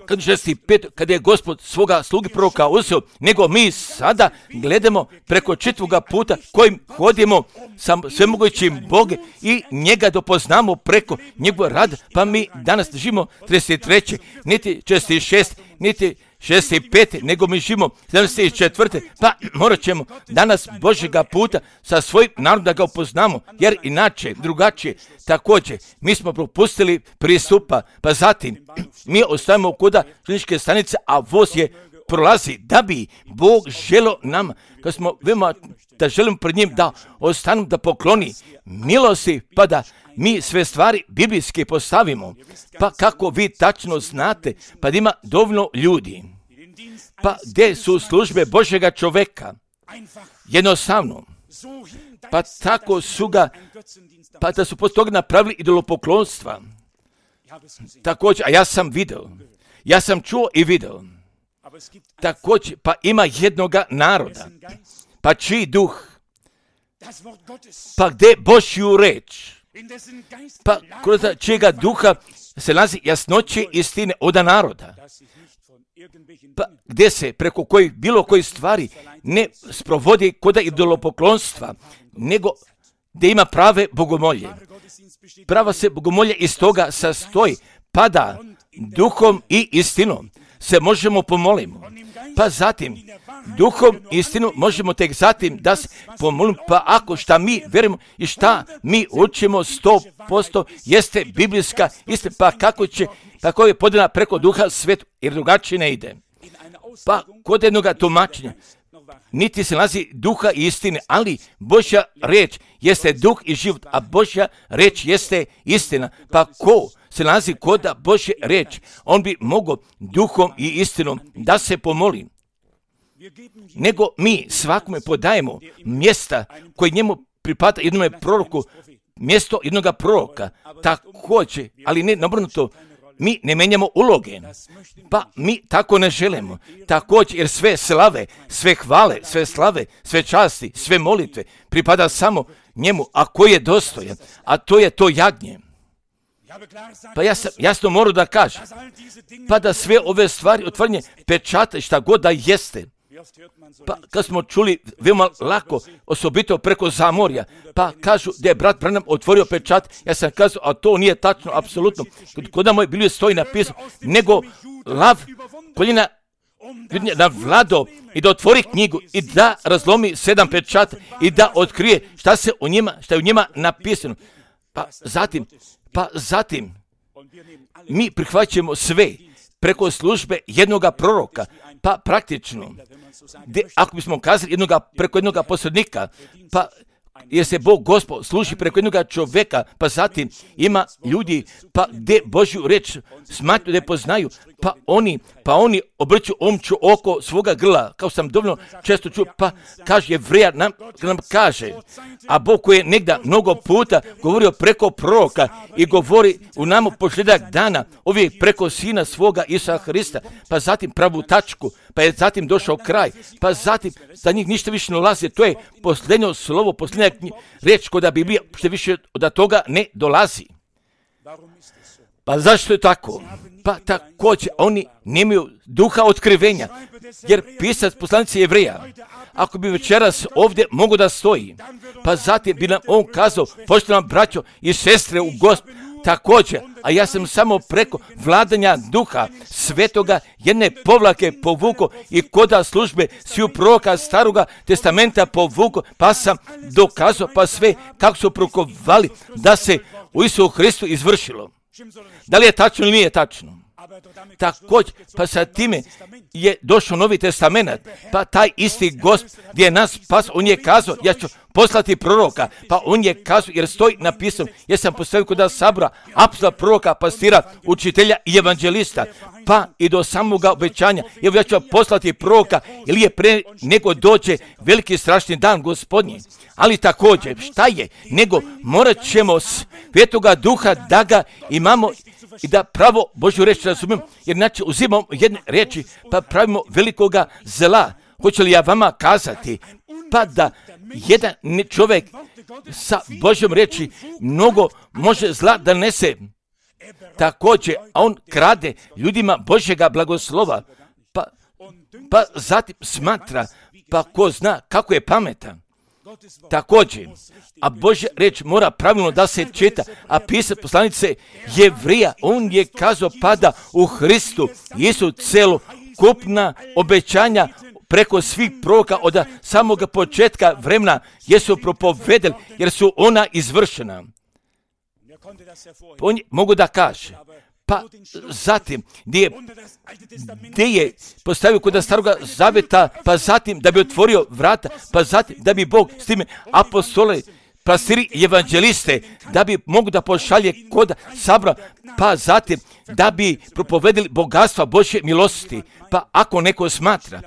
A: kad 65. kada je Gospod svoga slugi proroka uzeo, nego mi sada gledamo preko čitvoga puta kojim hodimo sa svemogućim Bogom i njega dopoznamo preko njegova rada, pa mi danas živimo 33. niti 46. niti 65. nego mi živimo 74. pa morat ćemo danas Božjega puta sa svojim narodom da ga upoznamo, jer inače, drugačije, također, mi smo propustili pristupa, pa zatim mi ostajemo koda kliničke stanice, a voz je prolazi, da bi Bog želio nam, kad smo veoma da želim pred njim da ostanu, da pokloni milosti, pa da mi sve stvari biblijske postavimo. Pa kako vi tačno znate, pa da ima dovoljno ljudi, pa gdje su službe Božjega čoveka, jednostavno, pa tako su ga, pa da su poslije toga napravili idolopoklonstva. Također, a ja sam video, ja sam čuo i video, također, pa ima jednoga naroda, pa čiji duh, pa gdje Božju reč, pa kroz čijega duha se nalazi jasnoće istine oda naroda, pa gdje se preko kojih bilo koji stvari ne sprovodi koda idolopoklonstva, nego gdje ima prave bogomolje. Prava se bogomolje iz toga sastoji, pa da duhom i istinom se možemo pomolimo. Pa zatim, duhom i istinom možemo tek zatim da se pomolimo, pa ako šta mi vjerujemo i šta mi učimo 100% jeste biblijska istina, pa kako je podana preko duha svetu, jer drugačije ne ide. Pa kod jednog tumačenja, niti se nalazi duha i istine, ali Božja reč jeste duh i život, a Božja reč jeste istina. Pa ko se nalazi kod Božje reč, on bi mogao duhom i istinom da se pomoli. Nego mi svakome podajemo mjesta koje njemu pripada jednome proroku, mjesto jednoga proroka, također, ali ne nabrnuto, mi ne menjamo uloge, pa mi tako ne želimo. Također, jer sve slave, sve hvale, sve slave, sve časti, sve molitve pripada samo njemu, a koji je dostojan, a to je to jagnje. Pa ja sam jasno moram da kažem, pa da sve ove stvari otvaranje pečata šta god da jeste. Pa kad smo čuli veoma lako, osobito preko zamorja, pa kažu da je brat Branham otvorio pečat, ja sam kazao, a to nije tačno, apsolutno. Kod moje Biblije stoji napisano, nego lav koljena na Vlado i da otvori knjigu i da razlomi 7 pečata i da otkrije šta je u njima napisano. Pa zatim mi prihvaćamo sve preko službe jednoga proroka, pa praktično, ako bismo kazali preko jednoga posrednika, pa jer se Bog Gospod služi preko jednoga čovjeka, pa zatim ima ljudi, pa gdje Božju reč smatruju da je poznaju, pa oni obrću omču oko svoga grla, kao sam dovoljno često čuo, pa kaže Jevreja nam kaže, a Bog koji je negdje mnogo puta govorio preko proroka i govori u nama posljedak dana, uvijek preko sina svoga Isusa Hrista, pa zatim pravu tačku, pa je zatim došao kraj, pa zatim za njih ništa više ne ulazi, to je posljednjo slovo, posljednja reč koda Biblija, što više od toga ne dolazi. Pa zašto je tako? Pa također oni nemaju duha otkrivenja, jer pisac poslanici Jevreja, ako bi večeras ovdje mogo da stoji, pa zatim bi nam on kazao, poštovani braćo i sestre u Gospodu, također, a ja sam samo preko vladanja duha svetoga jedne povlake povuko i koda službe sviju proroka staroga testamenta povuko, pa sam dokazao pa sve kako su prokovali da se u Isusu Hristu izvršilo. Da li je tačno ili nije tačno? Također, pa sa time je došao Novi testament, pa taj isti Gospod gdje je nas spas, on je kazao, ja ću poslati proroka, pa on je kazao, jer stoji napisano, ja sam postavio kod sabora apostola, proroka, pastira, učitelja i evanđelista, pa i do samoga obećanja, evo ja ću poslati proroka, ili je pre nego dođe veliki strašni dan Gospodnji. Ali također, šta je, nego morat ćemo Svetoga Duha da ga imamo i da pravo Božju reč razumijemo, jer znači uzimamo jedne reči pa pravimo velikoga zla. Hoće li ja vama kazati, pa da jedan čovjek sa Božjom reči mnogo može zla da nese. Također, a on krade ljudima Božjega blagoslova, pa zatim smatra, pa ko zna kako je pametan. Također, a Božja reč mora pravilno da se čita, a pisac poslanice Jevreja, on je kazao pada u Hristu Isu celokupna obećanja preko svih proroka od samoga početka vremena jesu propovedeli, jer su ona izvršena. On mogu da kaže, pa zatim gdje je postavio kod staroga zavjeta, pa zatim da bi otvorio vrata, pa zatim da bi Bog s time apostole, pastiri i evanđeliste, da bi mogu da pošalje kod sabora, pa zatim da bi propovedili bogatstva Božje milosti. Pa ako neko smatra,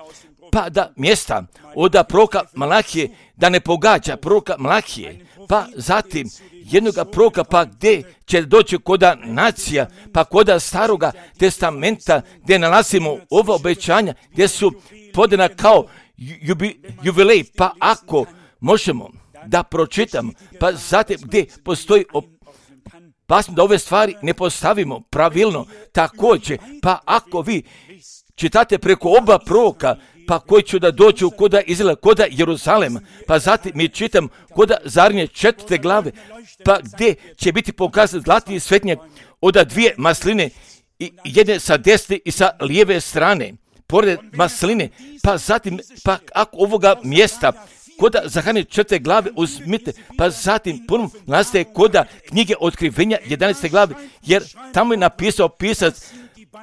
A: pa da mjesta od proroka Malahije da ne pogađa proroka Malahije, pa zatim jednoga proroka, pa gdje će doći koda nacija, pa koda staroga testamenta, gdje nalazimo ova obećanja, gdje su podana kao jubilej, pa ako možemo da pročitamo, pa zatim gdje postoji opasnost da ove stvari ne postavimo pravilno, također, pa ako vi čitate preko oba proroka, pa koji će da dođu koda Izraela, koda Jeruzalema, pa zatim mi čitam koda Zarnje 4. glave, pa gdje će biti pokazan zlatni svetnjak od 2 masline, i jedne sa desne i sa lijeve strane, pored masline, pa zatim, pa ako ovoga mjesta, koda Zaharije 4. glave uzmite, pa zatim ponovno nastaje koda knjige Otkrivenja 11. glave, jer tamo je napisao pisac,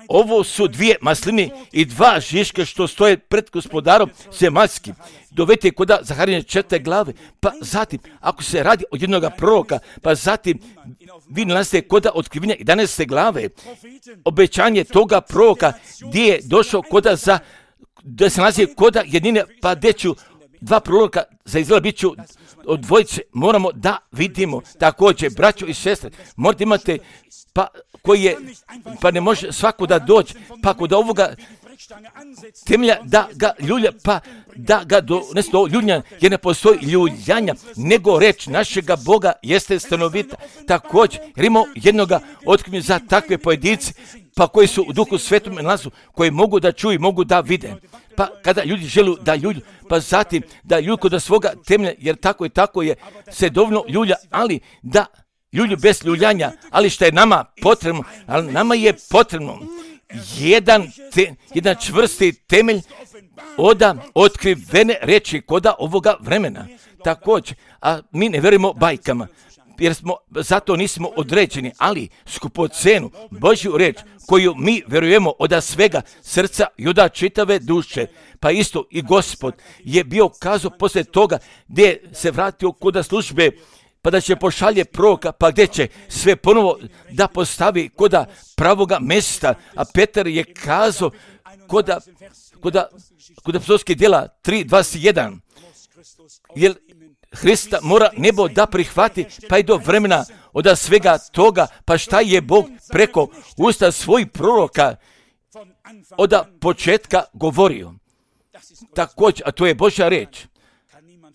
A: ovo su 2 masline i 2 žiška što stoje pred gospodarom zemaljskim. Dovete koda Zaharije 4. glave, pa zatim, ako se radi od jednoga proroka, pa zatim vi nalazite koda Otkrivenja 11. glave, obećanje toga proroka gdje je došao koda da se nalazi koda jednine, pa gdje ću 2 proroka za Izrael bit ću od dvojice, moramo da vidimo. Također, braćo i sestre, morate imate, pa ne može svako da dođe, pa kod ovoga temelja da ga ljulja, pa da ga donese do ljuljanja, jer ne postoji ljuljanja, nego reč našega Boga jeste stanovita. Također, jer imamo jednoga otkrivenja za takve pojedince, pa koji su u Duhu Svetom nalazu, koji mogu da čuju, mogu da vide. Pa kada ljudi žele da ljulju, pa zatim da ljulju kod svoga temelja, jer tako je se dovoljno ljulja, ali da ljulju bez ljuljanja, ali što je nama potrebno, ali nama je potrebno jedan čvrsti temelj od otkrivene reči koda ovoga vremena. Također, a mi ne vjerujemo bajkama, jer zato nismo određeni, ali skupocenu Božju reč koju mi vjerujemo od svega srca i od čitave duše. Pa isto i Gospod je bio kazao poslije toga gdje se vratio kod službe, pa da će pošalje proroka, pa gdje će sve ponovo da postavi koda pravoga mjesta. A Petar je kazao koda apostolskih djela 3:21, jer Hrista mora nebo da prihvati, pa i do vremena od svega toga, pa šta je Bog preko usta svojih proroka od početka govorio. Također, a to je Božja reč,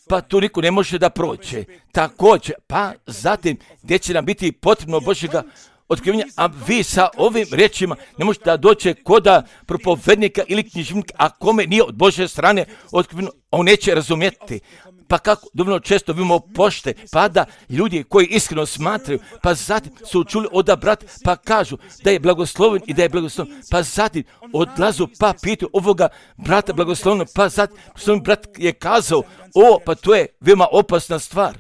A: pa tu niko ne može da prođe. Također, pa zatim gdje će nam biti potrebno Božjega otkrivenja, a vi sa ovim rečima ne možete da dođe koda propovednika ili književnika, a kome nije od Božje strane otkriveno, on neće razumjeti. Pa kako dovoljno često vidimo pošte, pa da ljudi koji iskreno smatraju, pa zatim su čuli od brata, pa kažu da je blagosloven i da je blagosloven, pa zatim odlazu, pa pitaju ovoga brata blagoslovno, pa zatim brat je kazao, pa to je veoma opasna stvar.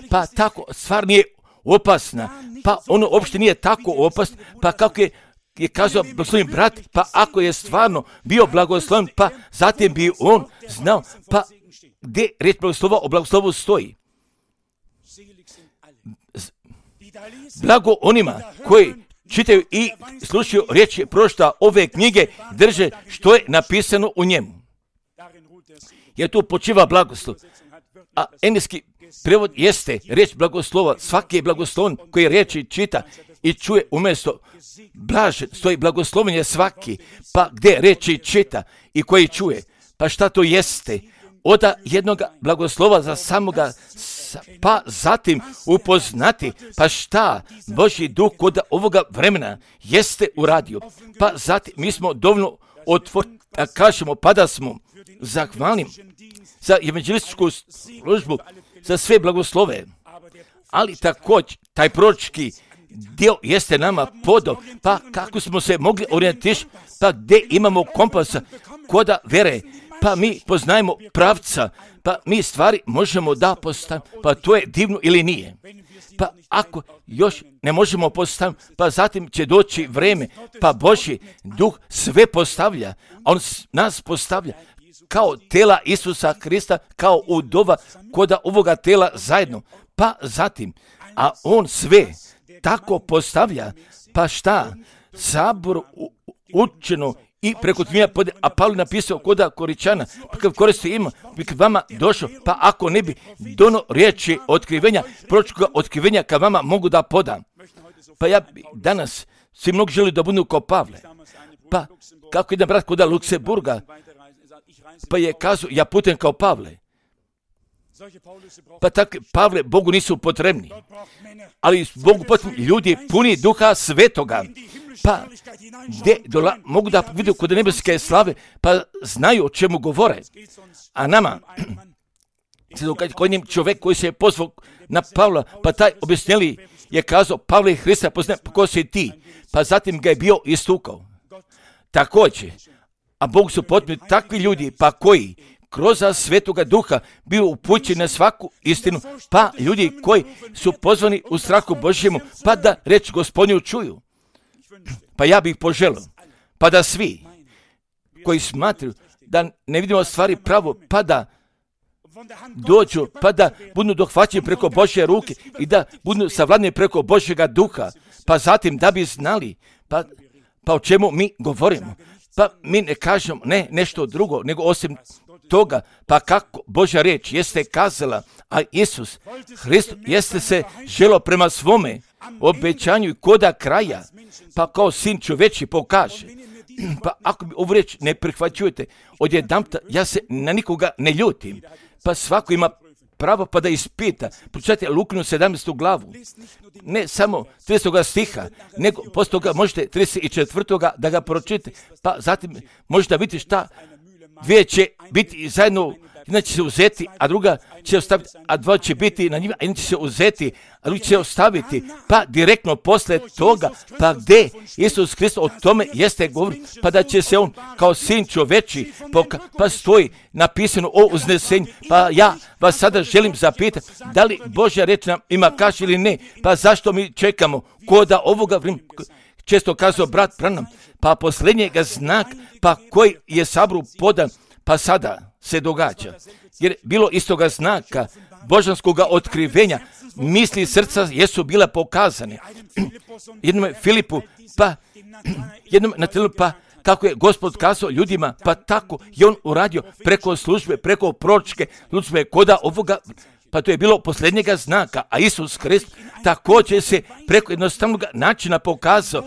A: Pa tako stvar nije opasna, pa ono uopšte nije tako opasno, pa kako je kazao blagoslovni brat, pa ako je stvarno bio blagosloven, pa zatim bi on znao, pa gdje riječ blagoslova o blagoslovu stoji. Blago onima koji čitaju i slušaju riječi prošta ove knjige, drže što je napisano u njemu. Jer tu počiva blagoslov. A engleski prevod jeste riječ blagoslova. Svaki je blagosloven koji riječi čita i čuje umjesto blažen, stoji blagosloven je svaki, pa gdje riječi čita i koji čuje. Pa šta to jeste? Od jednog blagoslova za samoga, pa zatim upoznati, pa šta Božji duh kod ovoga vremena jeste uradio. Pa zatim mi smo dovoljno otvorili, da kažemo, pa da smo zahvalni za evanđelističku službu, za sve blagoslove. Ali također, taj proročki dio jeste nama podao, pa kako smo se mogli orijentirati, pa gdje imamo kompasa koda vere, pa mi poznajemo pravca, pa mi stvari možemo da postavimo, pa to je divno ili nije. Pa ako još ne možemo postaviti, pa zatim će doći vreme, pa Božji duh sve postavlja, on nas postavlja kao tela Isusa Krista, kao udova koda ovoga tela zajedno, pa zatim, a on sve tako postavlja, pa šta? Sabor učeno i preko tmija, a Pavle napisao koda Koričana, pa kad koristi ima, bi kad vama došao, pa ako ne bi dono riječi otkrivenja, proročkoga otkrivenja kad vama mogu da podam. Pa ja danas, svi mnogi želi da budu kao Pavle. Pa kako jedan brat koda Luksemburga, pa je kazao, ja putujem kao Pavle. Pa tako Pavle Bogu nisu potrebni, ali Bogu potrebni ljudi puni Duha Svetoga, pa gdje mogu da vidio kod nebeske slave, pa znaju o čemu govore. A nama, kod njim čovjek koji se je pozvao na Pavla, pa taj objašnjeli je kazao, Pavle i Hrista poznaje, pa ko si ti? Pa zatim ga je bio istukao. Također, a Bogu su potrebni takvi ljudi, pa koji kroz Svetoga Duha bio upućen na svaku istinu, pa ljudi koji su pozvani u strahu Božjemu, pa da reč Gospodnju čuju. Pa ja bih poželio, pa da svi koji smatruju da ne vidimo stvari pravo, pa da dođu, pa da budu dohvaćeni preko Božje ruke i da budu savladani preko Božjega Duha, pa zatim da bi znali, pa o čemu mi govorimo. Pa mi ne kažemo ne nešto drugo, nego osim toga, pa kako Božja riječ jeste kazala, a Isus Hrist jeste se želio prema svome obećanju i koda kraja, pa kao sin čovječi pokaže. Pa ako mi ovu riječ ne prihvaćujete, odjedanputa ja se na nikoga ne ljutim, pa svako ima pravo pa da ispita. Pročitajte Lukinu 17. glavu, ne samo 30. stiha, nego poslije toga možete 34. da ga pročitate, pa zatim možete vidjeti šta dvije će biti zajedno, jedna će se uzeti, a druga će ostaviti, a dva će biti na njima, a jedna će se uzeti, a drugi će ostaviti, pa direktno posle toga, pa gdje Isus Hrist o tome jeste govori, pa da će se on kao sin čoveči, pa stoji napisano o uznesenju, pa ja vas sada želim zapitati, da li Božja reč nam ima kaže ili ne, pa zašto mi čekamo, ko da ovoga vremena, često kazao brat Branham, pa posljednjega znak, pa koji je Saboru podan, pa sada se događa. Jer bilo istoga znaka, božanskoga otkrivenja, misli srca jesu bile pokazane. Jednom Filipu, pa jednom Natanaelu, pa kako je Gospod kazao ljudima, pa tako je on uradio preko službe, preko proročke službe, koda ovoga, pa to je bilo posljednjega znaka, a Isus Hrist također se preko jednostavnog načina pokazao.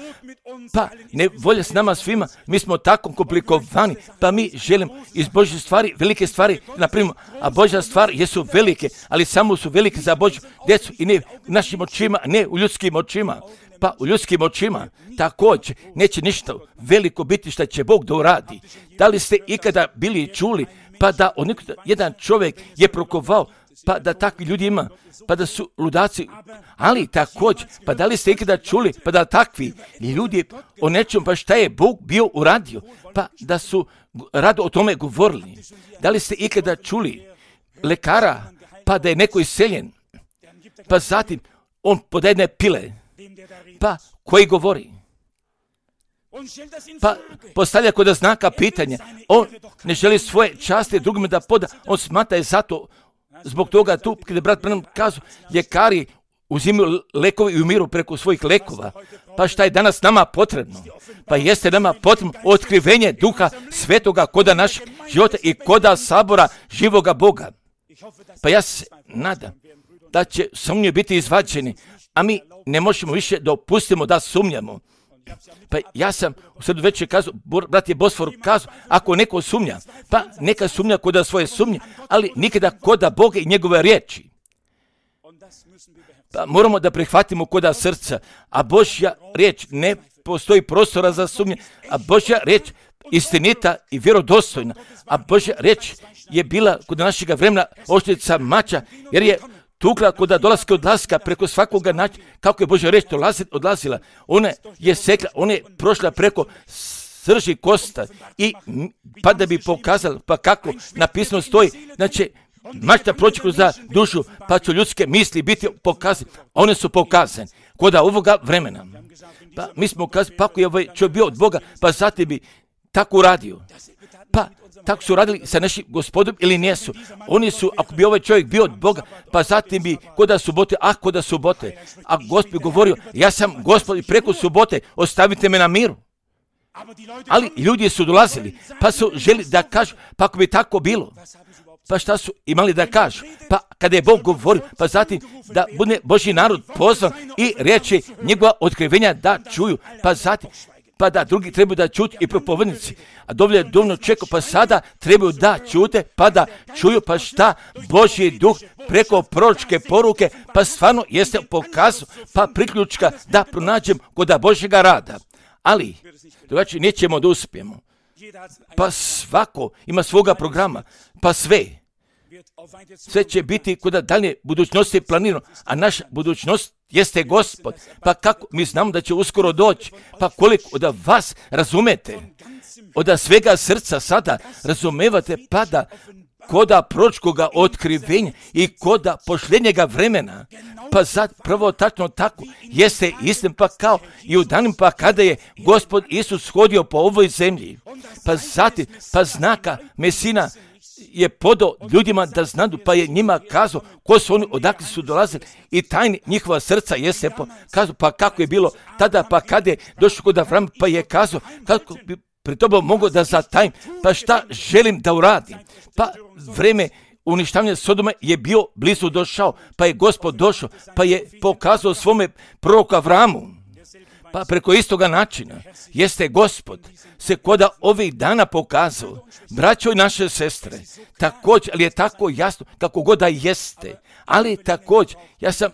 A: Pa ne volja s nama svima, mi smo tako komplikovani, pa mi želimo iz Božje stvari, velike stvari, naprimjer, a Božja stvar jesu velike, ali samo su velike za Božju djecu i ne u našim očima, ne u ljudskim očima. Pa u ljudskim očima također neće ništa veliko biti što će Bog da uradi. Da li ste ikada bili čuli, pa da jedan čovjek je prokovao, pa da takvi ljudi ima, pa da su ludaci, ali također, pa da li ste ikada čuli, pa da takvi ljudi o nečem, pa šta je Bog bio uradio, pa da su rado o tome govorili. Da li ste ikada čuli lekara, pa da je neko iseljen, pa zatim on podaje jedne pile, pa koji govori, pa postavlja kod znaka pitanja, on ne želi svoje časti drugima da poda, on smatra je zato. Zbog toga tu, kada je brat Branham kazao, ljekari uzimaju lekove i umiru preko svojih lekova. Pa šta je danas nama potrebno? Pa jeste nama potrebno otkrivenje Duha Svetoga koda našeg života i koda sabora živoga Boga. Pa ja se nadam da će sumnje biti izvađeni, a mi ne možemo više dopustimo da sumnjamo. Pa ja sam u sredu večer kazao, brat je Bosfor kazao, ako neko sumnja, pa neka sumnja koda svoje sumnje, ali nikada koda Boga i njegove riječi. Pa moramo da prihvatimo koda srca, a Božja riječ ne postoji prostora za sumnje, a Božja riječ istinita i vjerodostojna, a Božja riječ je bila kod našega vremena oštrica mača, jer je tukla kod dolaska odlaska preko svakoga načina, kako je Božja riječ odlazila, ona je sekla, ona je prošla preko srži kosta i pa da bi pokazali pa kako napisano stoji, znači mašta proći kroz dušu, pa će ljudske misli biti pokazane. One su pokazane kod ovoga vremena. Pa mi smo kazali, pa ako je ovaj čovjek bio od Boga, pa zatim bi tako uradio. Pa tako su radili sa našim Gospodom ili nijesu. Oni su, ako bi ovaj čovjek bio od Boga, pa zatim bi kod subote, a Gospod bi govorio, ja sam Gospod i preko subote, ostavite me na miru. Ali ljudi su dolazili, pa su želi da kažu, pa ako bi tako bilo, pa šta su imali da kažu? Pa kada je Bog govorio, pa zatim da bude Božji narod pozvan i reći njegova otkrivenja da čuju, pa zatim pa da drugi trebaju da čuti i propovednici, a dovoljno čekao, pa sada trebaju da čute, pa da čuju, pa šta Božji duh preko proročke poruke, pa stvarno jeste pokazao, pa priključka da pronađem kod Božjega rada. Ali, drugačije nećemo da uspijemo. Pa svako ima svoga programa, pa sve će biti kod dalje budućnosti planirano, a naša budućnost jeste Gospod. Pa kako mi znamo da će uskoro doći, pa koliko od vas razumete, od svega srca sada razumevate, pa da koda proročkoga otkrivenja i koda pošljenjega vremena, pa sad prvo tačno tako jeste istim, pa kao i u danim pa kada je Gospod Isus hodio po ovoj zemlji, pa zatim pa znaka Mesina je podao ljudima da znadu, pa je njima kazao ko su oni, odakle su dolazili i tajni njihova srca jeste pokazao, pa kako je bilo tada, pa kada je došao kod Avrama, pa je kazao kako bi pred tobom mogu da zatajim, pa šta želim da uradim. Pa vreme uništavanja Sodoma je bio blizu došao, pa je Gospod došao, pa je pokazao svome proroku Avramu. Pa preko istoga načina jeste Gospod se koda ovih dana pokazao, braćo i naše sestre, također, ali je tako jasno kako god da jeste, ali također, ja sam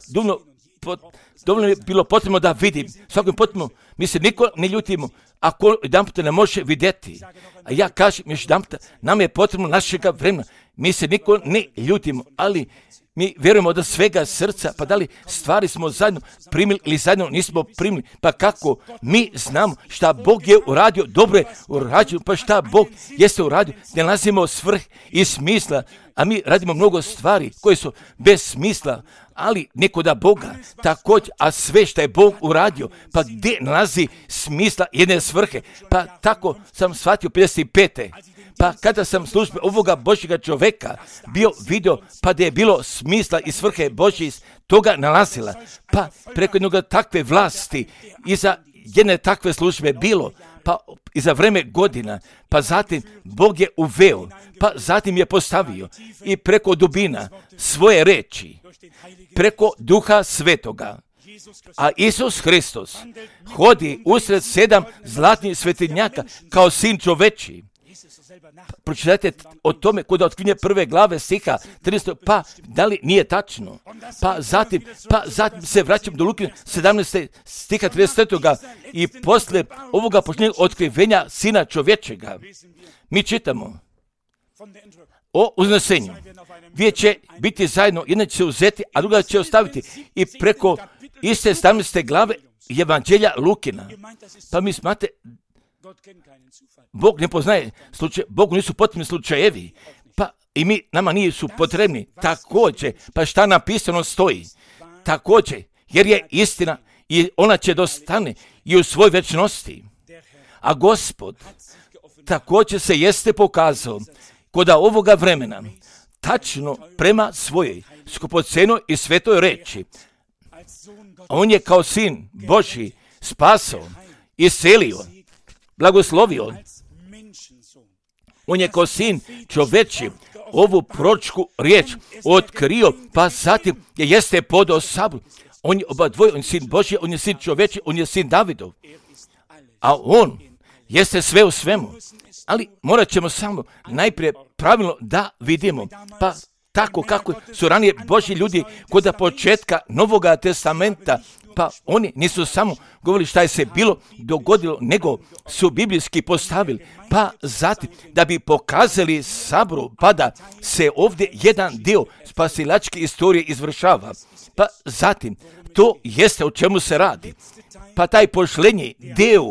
A: dovoljno je bilo potrebno da vidim, svakom potrebno, mi se niko ne ljutimo, ako jedan puta ne može vidjeti, a ja kažem još jedan puta, nam je potrebno našega vremena, mi se niko ne ljutimo, ali mi vjerujemo od svega srca, pa da li stvari smo zajedno primili ili zajedno nismo primili, pa kako mi znamo šta Bog je uradio, dobro je uradio, pa šta Bog jeste uradio, ne nalazimo svrh i smisla, a mi radimo mnogo stvari koje su bez smisla, ali neko da Boga također, a sve što je Bog uradio, pa gdje nalazi smisla jedne svrhe, pa tako sam shvatio 55. Pa kada sam službe ovoga Božjega čovjeka bio vidio, pa da je bilo smisla i svrhe Božje iz toga nalazila, pa preko jednog takve vlasti, iza jedne takve službe bilo, pa iza vreme godina, pa zatim Bog je uveo, pa zatim je postavio i preko dubina svoje reči, preko Duha Svetoga. A Isus Hristos hodi usred 7 zlatnih svetinjaka kao sin čoveči. Pročitajte o tome kod otkrivenja 1. glave stiha 13. Pa da li nije tačno? Pa zatim se vraćam do Luke 17. stiha 33. I posle ovoga počinjenja otkrivenja sina čovječega mi čitamo o uznesenju. Dvije će biti zajedno, jedna će se uzeti, a druga će ostaviti. I preko iste 17. glave Evanđelja Lukina. Pa mi smate, Bog ne poznaje slučaje, Bogu nisu potrebni slučajevi, pa i nama nisu potrebni. Također, pa šta napisano stoji? Također, jer je istina i ona će dostane i u svoj večnosti. A Gospod također se jeste pokazao kod ovoga vremena, tačno prema svojoj skupocenoj i svetoj reči. On je kao sin Božji spasao, iscelio, blagoslovio. On je kao sin čoveči ovu proročku riječ otkrio, pa zatim je jeste podao sabor. On je obadvoje, on je sin Božji, on je sin čoveči, on je sin Davidov. A on jeste sve u svemu. Ali morat ćemo samo najprije pravilno da vidimo, pa tako kako su ranije Božji ljudi kod početka Novoga testamenta, pa oni nisu samo govorili šta je se bilo dogodilo, nego su biblijski postavili, pa zatim da bi pokazali saboru, pa da se ovdje jedan dio spasilačke istorije izvršava. Pa zatim, to jeste o čemu se radi. Pa taj pošlenji dio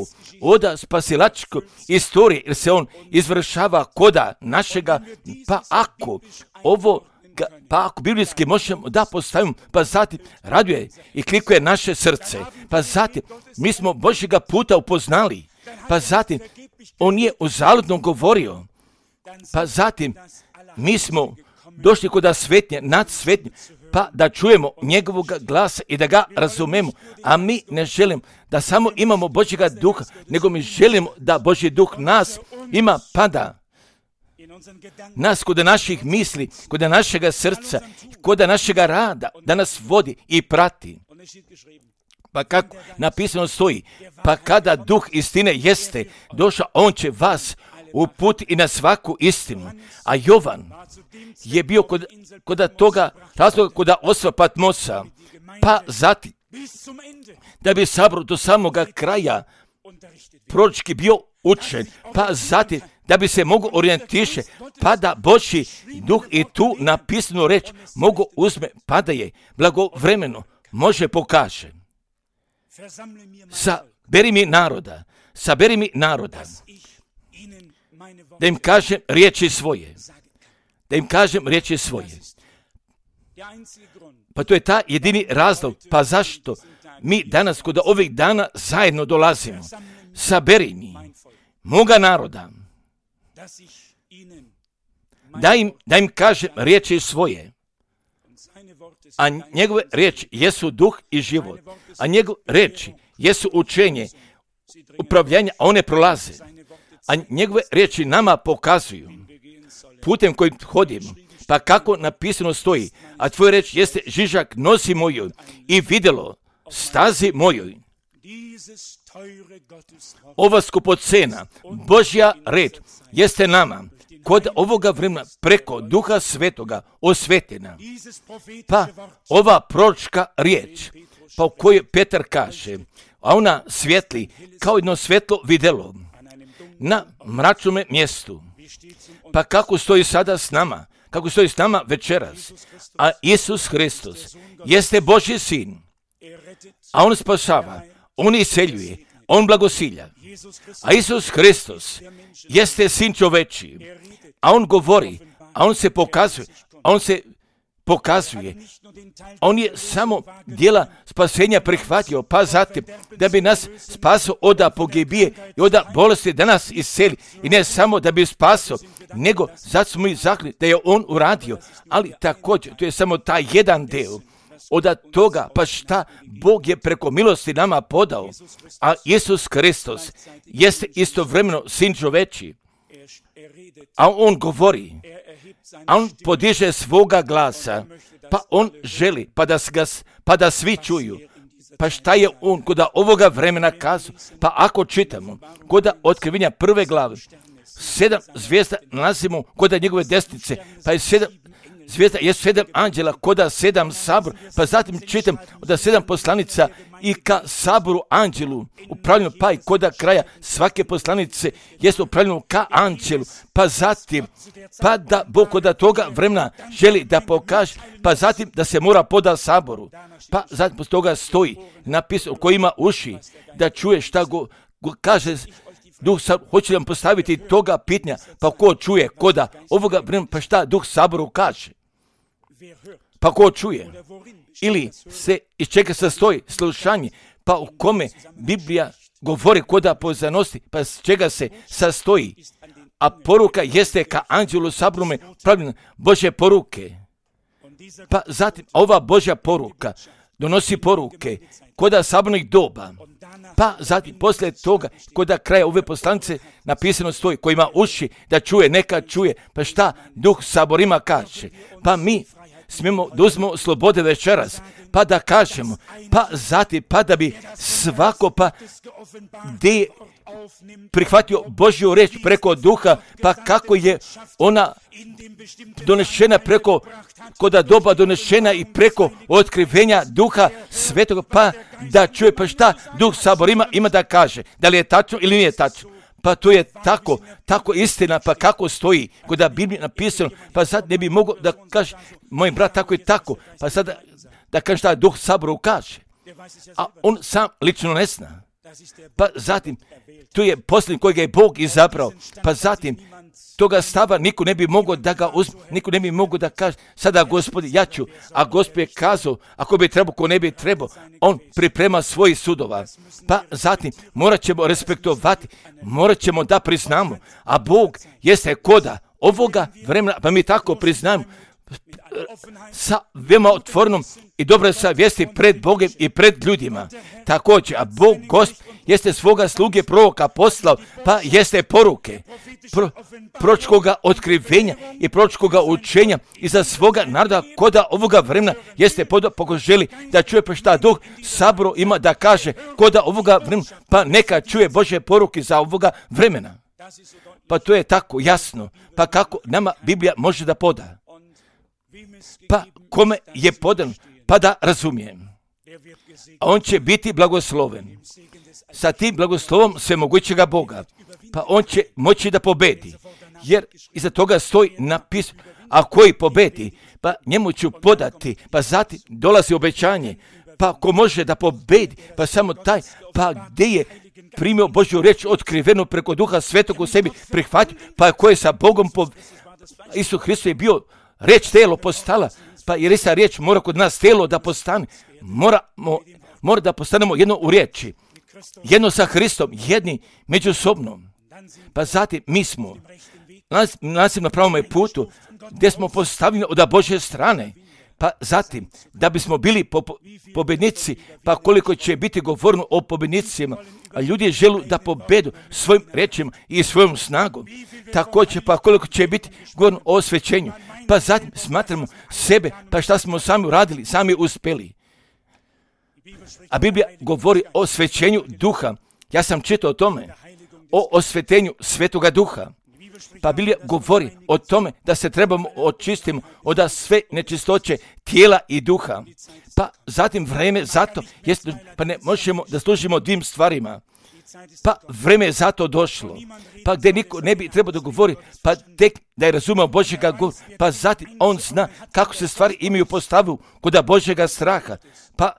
B: oda spasilačko istorije, jer se on izvršava koda našega, pa ako biblijski možemo da postavimo, pa zatim raduje i klikuje naše srce, pa zatim mi smo Božjega puta upoznali, pa zatim on je uzaludno govorio, pa zatim mi smo došli kod svetnje, nad svetnje, pa da čujemo njegovog glasa i da ga razumemo, a mi ne želimo da samo imamo Božjega duha, nego mi želimo da Božji duh nas ima, pada nas kod naših misli, kod našega srca, kod našega rada, da nas vodi i prati. Pa kako napisano stoji, pa kada duh istine jeste došao, on će vas uputiti i na svaku istinu. A Jovan je bio kod toga razloga, kod ostva Patmosa, pa zatim, da bi sabor do samoga kraja proročki bio učen, pa zatim, da bi se mogu orijentiše, pa da Božji duh i tu napisanu reč mogu uzme, pa da je blagovremeno može pokaže. Saberi mi naroda, da im kažem riječi svoje. Pa to je ta jedini razlog, pa zašto mi danas kod ovih dana zajedno dolazimo. Saberi mi moga naroda, da im kažem riječi svoje, a njegove riječi jesu duh i život, a njegove riječi jesu učenje, upravljanje, a one prolaze, a njegove riječi nama pokazuju putem kojim hodimo, pa kako napisano stoji, a tvoj riječ jeste žižak nosi mojoj i vidjelo stazi mojoj. Ova skupocena, Božja red, jeste nama kod ovoga vremena preko Duha Svetoga osvetljena. Pa ova proročka riječ, pa u kojoj Petar kaže, a ona svijetli kao jedno svjetlo vidjelo na mračnome mjestu. Pa kako stoji sada s nama, kako stoji s nama večeras, a Isus Hristos jeste Božji sin, a on spasava, on iseljuje, on blagosilja. A Isus Hristos jeste sin čoveči, a on govori, a on se pokazuje, on je samo djela spasenja prihvatio, pa zatim da bi nas spasio od pogibije i od bolesti, da nas iseli, i ne samo da bi spasio, nego zato smo i zahvalni da je on uradio, ali također to je samo taj jedan del od toga, pa šta Bog je preko milosti nama podao, a Isus Hristos jeste istovremeno sin čoveči, a on govori, a on podiže svoga glasa, pa on želi, pa da svi čuju. Pa šta je on kod ovoga vremena kazao? Pa ako čitamo kod Otkrivenja 1. glave, 7 zvijezda nalazimo kod njegove desnice, pa je 7 zvijezda, je 7 anđela kod 7 sabor, pa zatim čitam od 7 poslanica i ka saboru anđelu upravljeno, pa i kod kraja svake poslanice jest upravljeno ka anđelu, pa zatim, pa da Bog kod toga vremena želi da pokaže, pa zatim da se mora poda saboru, pa zatim poslije toga stoji napisano ko ima uši da čuje šta go kaže Duh Sabor. Hoće vam postaviti toga pitanja, pa ko čuje koda ovoga vremena, pa šta Duh Saboru kaže? Pa ko čuje? Ili se iz čega sastoji slušanje, pa u kome Biblija govori koda poznanosti, pa iz čega se sastoji? A poruka jeste ka anđelu saborome pravljena Božje poruke. Pa zatim ova Božja poruka donosi poruke koda sabornih doba. Pa zatim poslije toga koda kraja ove poslanice napisano stoji ko ima uši da čuje, neka čuje. Pa šta Duh Saborima kaže? Pa mi smijemo da uzmemo slobode večeras, pa da kažemo, pa zatim, pa da bi svako pa gdje prihvatio Božju reč preko Duha, pa kako je ona donešena preko koda doba donešena i preko otkrivenja Duha Svetoga, pa da čuje, pa šta Duh Saborima ima da kaže, da li je tačno ili nije tačno. Pa to je tako istina, pa kako stoji kod Biblije napisano, pa sad ne bi mogao da kaže, moj brat tako i tako, pa sad da kaže šta Duh Saboru kaže. A on sam lično ne zna. Pa zatim, tu je posljednji kojega je Bog izabrao. Pa zatim, toga stava niko ne bi mogao da ga uzme, niko ne bi mogao da kaže, sada Gospodi, ja ću, a Gospod je kazao, ako bi trebao, ko ne bi trebao, on priprema svojih sudova. Pa zatim, morat ćemo respektovati, morat ćemo da priznamo, a Bog jeste koda ovoga vremena, pa mi tako priznamo, sa veoma otvorenom i dobro savjesti pred Bogom i pred ljudima. Također, a Bog Gospod jeste svoga sluge proroka poslao, pa jeste poruke proročkoga otkrivenja i proročkoga učenja i za svoga naroda koda ovoga vremena jeste poko želi da čuje pa šta Duh Saboru ima da kaže koda ovoga vremena, pa neka čuje Božje poruke za ovoga vremena. Pa to je tako jasno, pa kako nama Biblija može da poda? Pa kome je podan, pa da razumijem. A on će biti blagosloven. Sa tim blagoslovom svemogućega Boga, pa on će moći da pobedi. Jer iza toga stoji napis, a koji pobedi, pa njemu ću podati, pa zatim dolazi obećanje, pa ko može da pobedi, pa samo taj, pa gdje je primio Božju riječ otkrivenu preko Duha Svetog u sebi prihvatio, pa ko je sa Bogom Isus Hristos je bio riječ telo postala, pa jer ista riječ mora kod nas telo da postane. Mora da postanemo jedno u riječi, jedno sa Hristom, jedni međusobno. Pa zatim mi smo na pravom putu gdje smo postavljeni od Božje strane. Pa zatim, da bismo bili pobjednici, pa koliko će biti govoreno o pobjednicima, a ljudi žele da pobedu svojim rečima i svojom snagom. Također, pa koliko će biti govoreno o osvećenju. Pa zatim smatramo sebe, pa šta smo sami uradili, sami uspjeli. A Biblija govori o osvećenju duha. Ja sam čitao o tome, o osvetenju Svetoga Duha. Pa Biblija govori o tome da se trebamo očistiti od sve nečistoće tijela i duha. Pa zatim vreme zato, pa ne možemo da služimo dvim stvarima. Pa vreme je zato došlo. Pa gdje niko ne bi trebao da govori, pa tek da je razumio Božjega govora, pa zatim on zna kako se stvari imaju postavu koda Božjega straha. Pa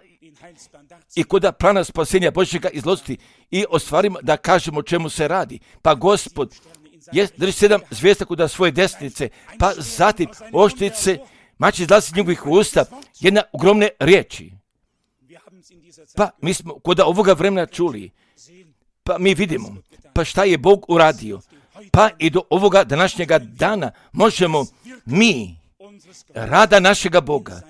B: i koda plana spasenja Božjega izložiti i o stvarima da kažemo o čemu se radi. Pa Gospod drži 7 zvijezda kuda svoje desnice, pa zatim oštrice, mač izlazi iz njegovih usta, jedna ogromne riječi. Pa mi smo koda ovoga vremena čuli, pa mi vidimo, pa šta je Bog uradio. Pa i do ovoga današnjega dana možemo mi rada našega Boga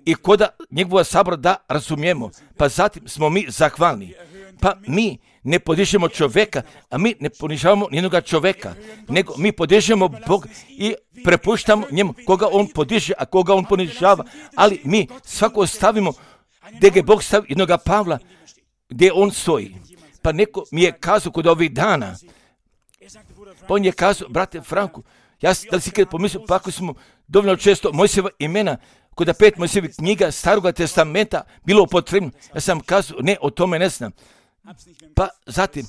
B: i koda njegova sabora da razumijemo, pa zatim smo mi zahvalni. Pa mi ne podižemo čovjeka, a mi ne ponižavamo nijednoga čovjeka, nego mi podižemo Bog i prepuštamo njemu koga on podiže, a koga on ponižava, ali mi svako stavimo gdje je Bog stavio jednoga Pavla, gdje on stoji. Pa neko mi je kazao kod ovih dana, pa on je kazao, brate Franku, da li si kada pomislio, pa ako smo dovoljno često Mojsijeva imena, kod 5 Mojsijevih knjiga Staroga testamenta bilo potrebno, ja sam kazao, ne, o tome ne znam. Pa zatim,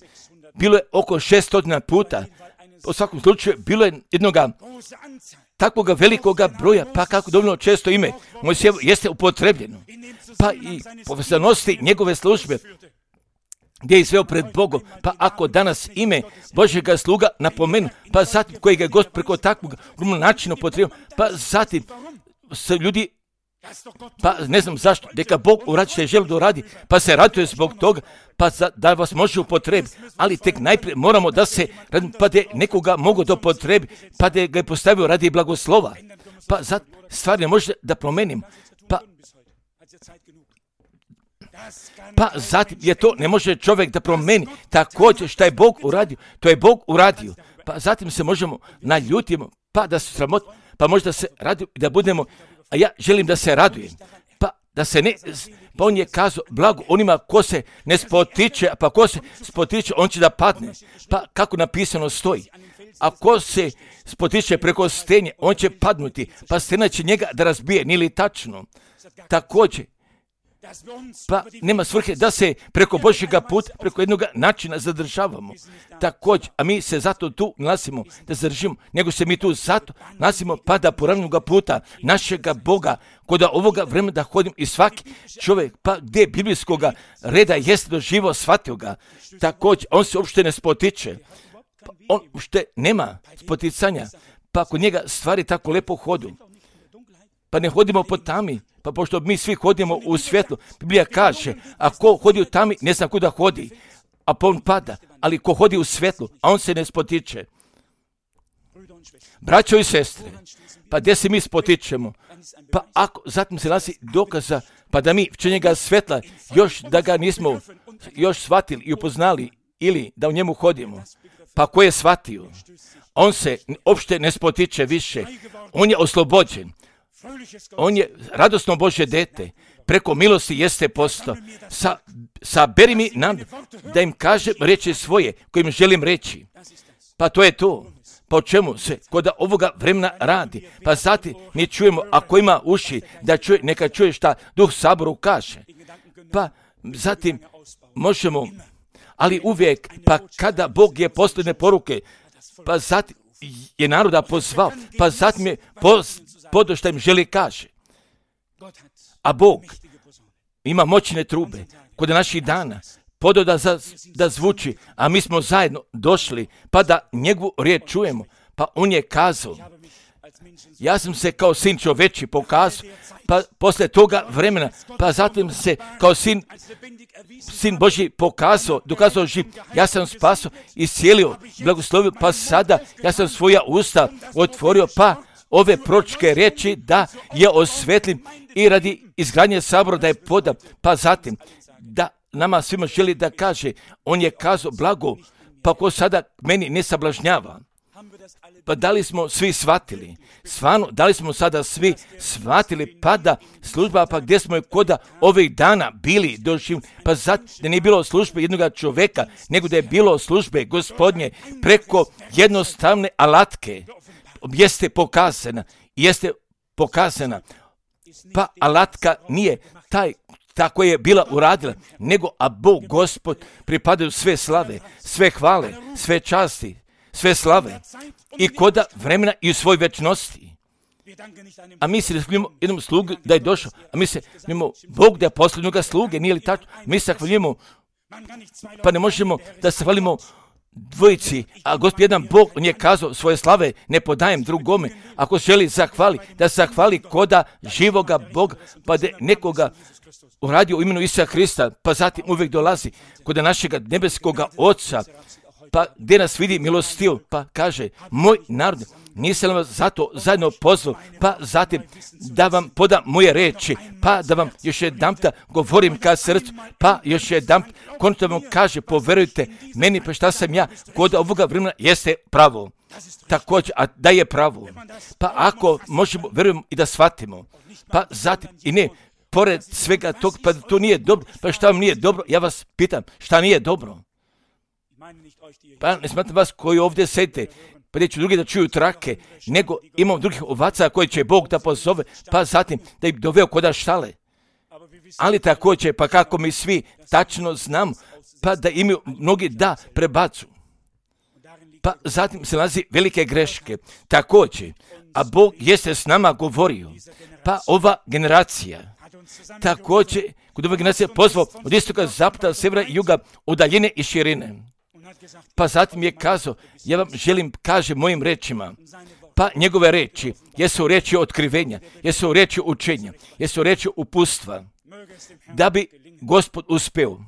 B: bilo je oko 600 puta, u svakom slučaju, bilo je jednoga takvoga velikoga broja, pa kako dovoljno često ime Mojsijevo jeste upotrebljeno. Pa i povezanosti njegove službe, gdje je izveo pred Bogom, pa ako danas ime Božjega sluga napomenu, pa zatim kojeg je Gospod preko takvog načina upotrebio, pa zatim se ljudi, pa ne znam zašto, neka Bog uradi što je želio da uradi, pa se raduje zbog toga, pa da vas može upotrebiti, ali tek najprije moramo da se, pa da nekoga mogu da upotrebi, pa da ga je postavio radi blagoslova, pa zato stvar ne može da promenim, pa zatim je to ne može čovjek da promeni, također što je Bog uradio, to je Bog uradio, pa zatim se možemo naljutimo, pa da se sramoti, pa možda se radimo i da budemo, a ja želim da se radujem, pa da se ne, pa on je kazao blago onima ko se ne spotiče, pa ko se spotiče on će da padne, pa kako napisano stoji, a ko se spotiče preko stenje on će padnuti, pa stena će njega da razbije, nije li tačno? Također, Pa nema svrhe da se preko Božjega puta, preko jednog načina zadržavamo. Također, a mi se zato tu nalazimo da zadržimo, nego se mi tu zato nalazimo pa da poravnoga puta našega Boga, kod ovoga vremena da hodimo i svaki čovjek, pa gdje biblijskoga reda jeste doživo, shvatio ga. Također, on se uopšte ne spotiče. Pa on uopšte nema spoticanja, pa kod njega stvari tako lepo hodu. Pa ne hodimo po tami, pa pošto mi svi hodimo u svjetlu, Biblija kaže, a ko hodi u tami, ne zna kuda hodi, a pa on pada, ali ko hodi u svjetlu, a on se ne spotiče. Braćo i sestre, pa gdje se mi spotičemo? Pa ako zatim se nalazi dokaza, pa da mi včenjega svjetla, još da ga nismo još shvatili i upoznali, ili da u njemu hodimo, pa ko je shvatio? On se uopšte ne spotiče više, on je oslobođen. On je radosno Božje dete, preko milosti jeste postao. Saberi mi nam da im kažem riječi svoje kojim želim reći. Pa to je to. Pa o čemu se kod ovoga vremena radi? Pa zatim mi čujemo, ako ima uši da čuje, neka čuje šta Duh Saboru kaže. Pa zatim možemo, ali uvijek, pa kada Bog je posljedne poruke, pa zatim je naroda pozvao, pa zatim je podo što im želi kaže. A Bog ima moćne trube kod naših dana, podo da zvuči, a mi smo zajedno došli, pa da njegovu riječ čujemo. Pa on je kazao, ja sam se kao sin čoveči pokazao, pa poslije toga vremena, pa zatim se kao sin Božji dokazao živ. Ja sam spasao, iscijelio, blagoslovio, pa sada ja sam svoja usta otvorio, pa ove proročke riječi da je osvetlim i radi izgradnje sabora da je podam, pa zatim da nama svima želi da kaže, on je kazao blago, pa ko sada meni ne sablažnjava. Pa da li smo svi shvatili? Stvarno, da li smo sada svi shvatili, pa da služba, pa gdje smo koda ovih dana bili doživljeni, pa zato da nije bilo službe jednog čovjeka, nego da je bilo službe Gospodnje preko jednostavne alatke, jeste pokazana, pa alatka nije tako je bila uradila, nego a Bog, Gospod, pripadaju sve slave, sve hvale, sve časti, sve slave i koda vremena i u svoj večnosti. A mi se zahvaljujemo jednom slugu da je došao, a mi se zahvaljujemo Bog da je posljednjoga sluge, nije li tačno? Mi se zahvaljujemo, pa ne možemo da se hvalimo dvojici, a Gospod jedan Bog, on je kazao svoje slave ne podajem drugome. Ako želi zahvali, da se zahvali koda živoga Boga, pa da nekoga uradio u imenu Isusa Hrista, pa zatim uvijek dolazi kod našega nebeskoga Oca, pa gdje nas vidi milostiv, pa kaže, moj narod, nisam vas zato zajedno pozvao, pa zatim da vam podam moje reči, pa da vam još jedanputa govorim ka srcu, pa još jedanput konačno vam kaže, poverujte meni, pa šta sam ja, kod ovoga vremena jeste pravo. Također, a da je pravo, pa ako možemo, verujemo i da shvatimo, pa zatim i ne, pored svega tog, pa to nije dobro, pa šta vam nije dobro, ja vas pitam, šta nije dobro? Pa ne smatram vas koji ovdje sedite, pa neću drugi da čuju trake, nego imam drugih ovaca koje će Bog da pozove, pa zatim da ih doveo koda štale. Ali također, pa kako mi svi tačno znamo, pa da imaju mnogi da prebacu. Pa zatim se nalazi velike greške. Također, a Bog jeste s nama govorio, pa ova generacija, također, kod ove generacije pozvao od istoka, zapada, sjevera i juga, udaljene i širine. Pa zatim je kazao, ja vam želim, kaže mojim rečima, pa njegove reči, jesu reči otkrivenja, jesu reči učenja, jesu reči upustva, da bi Gospod uspeo,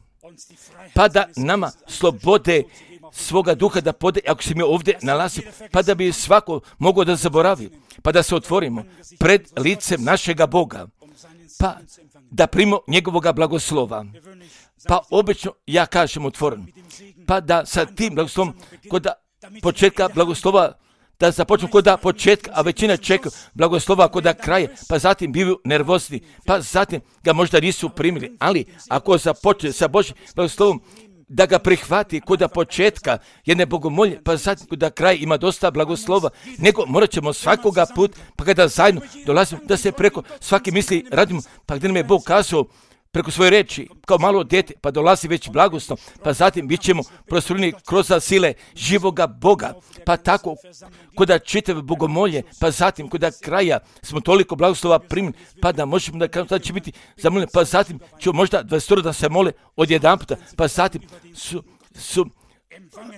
B: pa da nama slobode svoga duha da pode, ako se mi ovdje nalazimo, pa da bi svako mogao da zaboravi, pa da se otvorimo pred licem našega Boga, pa da primimo njegovoga blagoslova. Pa obično ja kažem otvoreno, pa da sa tim blagoslovom kod početka blagoslova, da započnu kod početka, a većina čeka blagoslova kod kraja, pa zatim bivaju nervozni, pa zatim ga možda nisu primili, ali ako započne sa Božjim blagoslovom, da ga prihvati kod početka jedne bogomolje, pa zatim kod kraja ima dosta blagoslova, nego morat ćemo svakoga put, pa kada zajedno dolazimo, da se preko svake misli radimo, pa gdje nam je Bog kazao, preko svoje reči, kao malo dijete, pa dolazi već blagoslov, pa zatim bit ćemo prostrujeni kroz sile živoga Boga, pa tako koda čitave bogomolje, pa zatim koda kraja smo toliko blagoslova primili, pa da možemo da kažemo da će biti zamoljeni, pa zatim ću možda 20 da se mole odjedanputa, pa zatim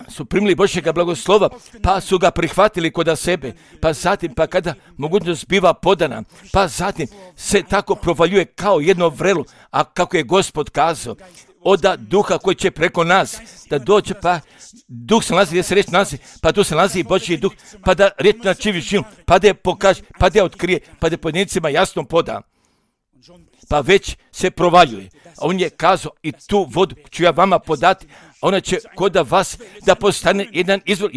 B: su primili Božjega blagoslova, pa su ga prihvatili kod sebe, pa zatim, pa kada mogućnost biva podana, pa zatim se tako provaljuje kao jedno vrelo, a kako je Gospod kazao, oda duha koji će preko nas, da dođe, pa duh se nalazi gdje se reč nalazi, pa tu se nalazi i Božji duh, pa da reč načivi živom, pa da je pokaže, pa da je otkrije, pa da je pojedincima jasno poda. Pa već se provaljuje. A on je kazao i tu vodu ću ja vama podati, ona će kod vas da postane jedan izvor,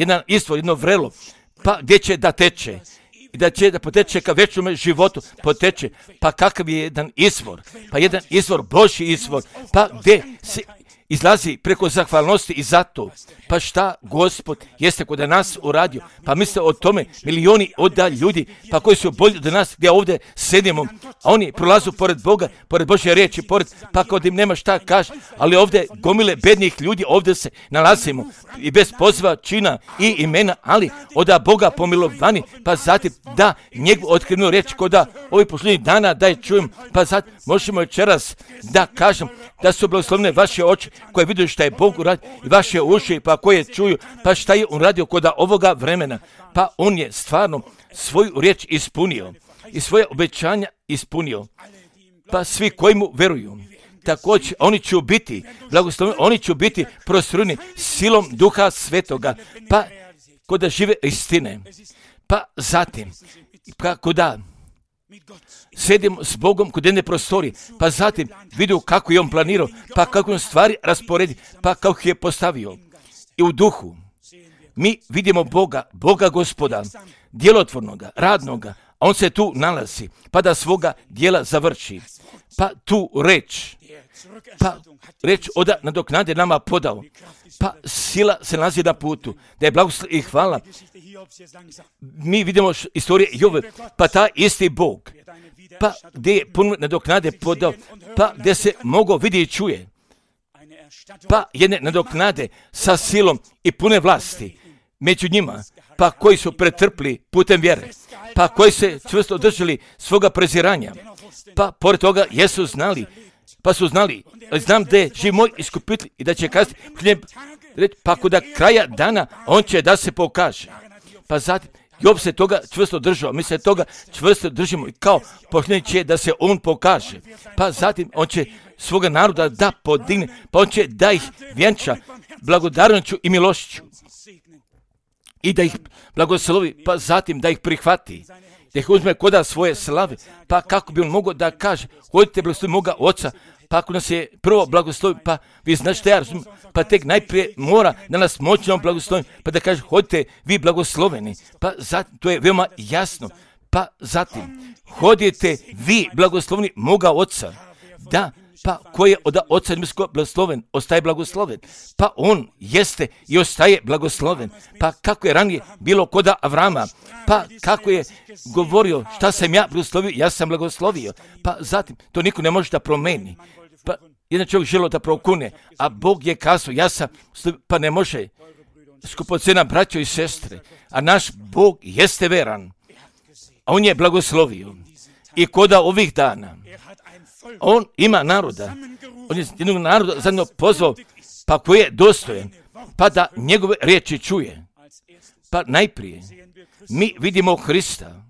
B: jedno vrelo, pa gdje će da teče. I da će da poteče ka večnome životu, poteče. Pa kakav je jedan izvor? Pa jedan izvor, Božji izvor, pa gdje se izlazi preko zahvalnosti i zato. Pa šta Gospod jeste kod nas uradio? Pa misle o tome milioni oda ljudi, pa koji su bolji od nas gdje ovdje sedimo, a oni prolazu pored Boga, pored Božje riječi, pa kod im nema šta kaže, ali ovdje gomile bednih ljudi, ovdje se nalazimo i bez poziva, čina i imena, ali oda Boga pomilovani, pa zatim da njegovu otkrivnu riječ koda ovih posljednjih dana da je čujem, pa zatim možemo večeras da kažem da su blagoslovne vaše oči koje vidio šta je Bog uradio i vaše uši pa koje čuju, pa šta je on radio kod ovoga vremena, pa on je stvarno svoju riječ ispunio i svoje obećanja ispunio, pa svi koji mu veruju, također oni će biti blagosloveni, oni će biti prostrujeni silom Duha Svetoga, pa koda žive istine, pa zatim, kako da sedimo s Bogom kod jedne prostorije, pa zatim vidio kako je on planirao, pa kako on stvari rasporedi, pa kako je postavio. I u duhu mi vidimo Boga Gospoda, djelotvornoga, radnoga, a on se tu nalazi, pa da svoga djela završi. Pa tu reč oda nadoknade nama podao, pa sila se nalazi na putu, da je blagoslov i hvala. Mi vidimo istorije Jove, pa ta isti Bog, pa gdje je puno nadoknade podao, pa gdje se mogo vidi i čuje, pa jedne nadoknade sa silom i pune vlasti među njima, pa koji su pretrpli putem vjere, pa koji se čvrsto držali svoga preziranja, pa pored toga jesu znali, znam da je živ moj iskupitelj i da će kazati, pa kod kraja dana on će da se pokaže. Pa zatim, Job se toga čvrsto držao, mi se toga čvrsto držimo i kao posljednji će da se on pokaže. Pa zatim on će svoga naroda da podigne, pa on će da ih vjenča blagodarnošću i milošću i da ih blagoslovi, pa zatim da ih prihvati, da ih uzme koda svoje slave, pa kako bi on mogao da kaže, hodite blagoslovi moga oca, pa ako nas je prvo blagoslovi, pa vi znate što ja razumijem, pa tek najprije mora da nas moćno blagoslovi, pa da kaže, hodite vi blagosloveni, pa zatim, to je veoma jasno, pa zatim, hodite vi blagosloveni moga oca, da, pa koji je od oca nebeskog blagosloven, ostaje blagosloven, pa on jeste i ostaje blagosloven, pa kako je ranije bilo koda Avrama, pa kako je govorio šta sam ja blagoslovio, ja sam blagoslovio, pa zatim to niko ne može da promeni, pa jedan čovjek želio da prokune, a Bog je kazao, ja sam, pa ne može, skupocena braćo i sestre, a naš Bog jeste veran, a on je blagoslovio i koda ovih dana, on ima naroda, on je jednog naroda zajedno pozvao, pa koji je dostojan, pa da njegove riječi čuje. Pa najprije, mi vidimo Hrista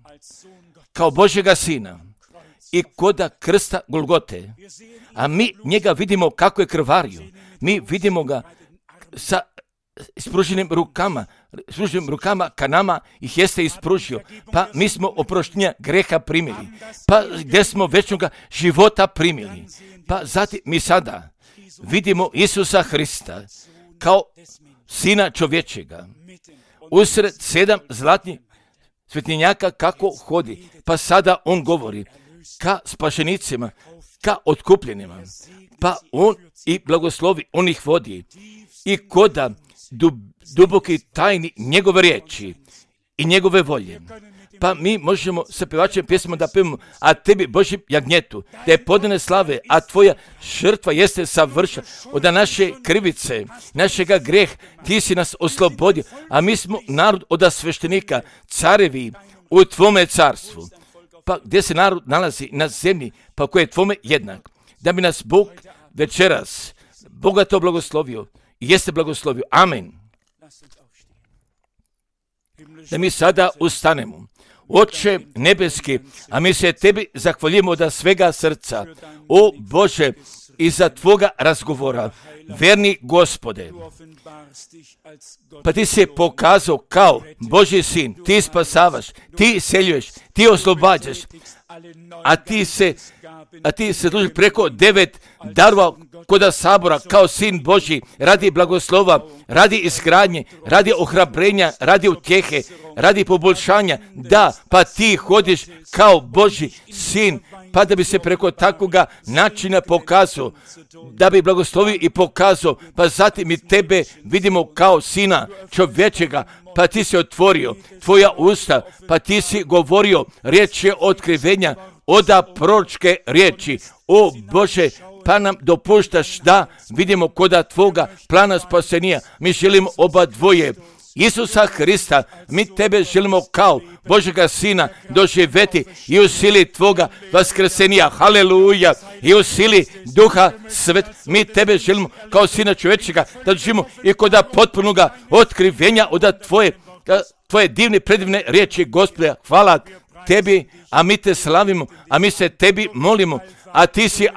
B: kao Božjega Sina i koda krsta Golgote, a mi njega vidimo kako je krvario, mi vidimo ga sa ispruženim rukama ka nama ih jeste ispružio, pa mi smo oproštenja greha primili, pa gdje smo večnoga života primili, pa zatim mi sada vidimo Isusa Hrista kao Sina čovječega, usred 7 zlatnih svetinjaka kako hodi, pa sada on govori ka spašenicima, ka otkupljenima, pa on i blagoslovi, on ih vodi i koda duboki tajni njegove riječi i njegove volje, pa mi možemo sa pevačem pjesmom da pevamo, a tebi Božji jagnjetu, da je podane slave, a tvoja žrtva jeste savršena od naše krivice, našega greh, ti si nas oslobodio, a mi smo narod od sveštenika, carevi u tvome carstvu. Pa gdje se narod nalazi na zemlji, pa koji je tvome jednak, da bi nas Bog večeras bogato blagoslovio i jeste blagoslovio. Amen. Da mi sada ustanemo. Oče nebeski, a mi se tebi zahvaljujemo od svega srca, o Bože, iza tvoga razgovora, verni Gospode. Pa ti se pokazao kao Božji sin, ti spasavaš, ti iseljuješ, ti oslobađaš, a ti se služi preko 9 darova koda sabora kao sin Božji, radi blagoslova, radi izgradnje, radi ohrabrenja, radi utjehe, radi poboljšanja. Da, pa ti hodiš kao Božji sin, pa da bi se preko takvoga načina pokazao, da bi blagoslovio i pokazao, pa zatim mi tebe vidimo kao sina čovječega, pa ti si otvorio tvoja usta, pa ti si govorio riječi otkrivenja, oda proročke riječi. O Bože, pa nam dopuštaš da vidimo koda tvoga plana spasenja. Mi želimo oba dvoje, Isusa Hrista, mi tebe želimo kao Božega Sina doživjeti i u sili tvoga vaskrsenja, haleluja, i u sili Duha Svet, mi tebe želimo kao Sina čovječega da doživimo i koda potpunoga otkrivenja od tvoje divne, predivne riječi, Gospode. Hvala tebi, a mi te slavimo, a mi se tebi molimo, a ti si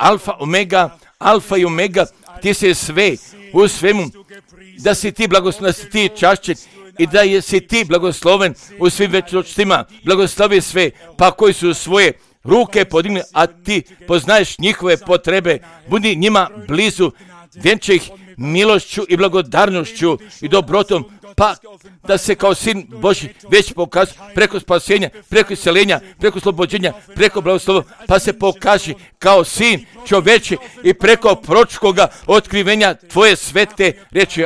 B: alfa i omega, ti si sve u svemu, da si ti blagosloven, da si ti čašćen i da si ti blagosloven u svim večnostima. Blagoslovi sve, pa koji su svoje ruke podigli, a ti poznaješ njihove potrebe, budi njima blizu, vjenčaj ih milošću i blagodarnošću i dobrotom, pa da se kao sin Božji već pokaže preko spasenja, preko iseljenja, preko oslobođenja, preko blagoslova, pa se pokaže kao sin čovječi i preko proročkoga otkrivenja tvoje svete riječi.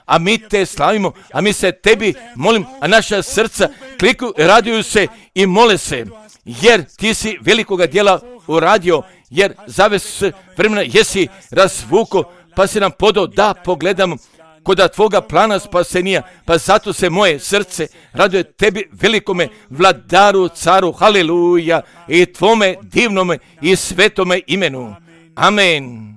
B: A mi te slavimo, a mi se tebi molim, a naša srca kliku, raduju se i mole se, jer ti si velikoga djela uradio, jer zaves vremena jesi razvuko, pa si nam podao da pogledamo koda tvoga plana spasenija, pa zato se moje srce raduje tebi velikome vladaru, caru, haleluja, i tvome divnome i svetome imenu. Amen.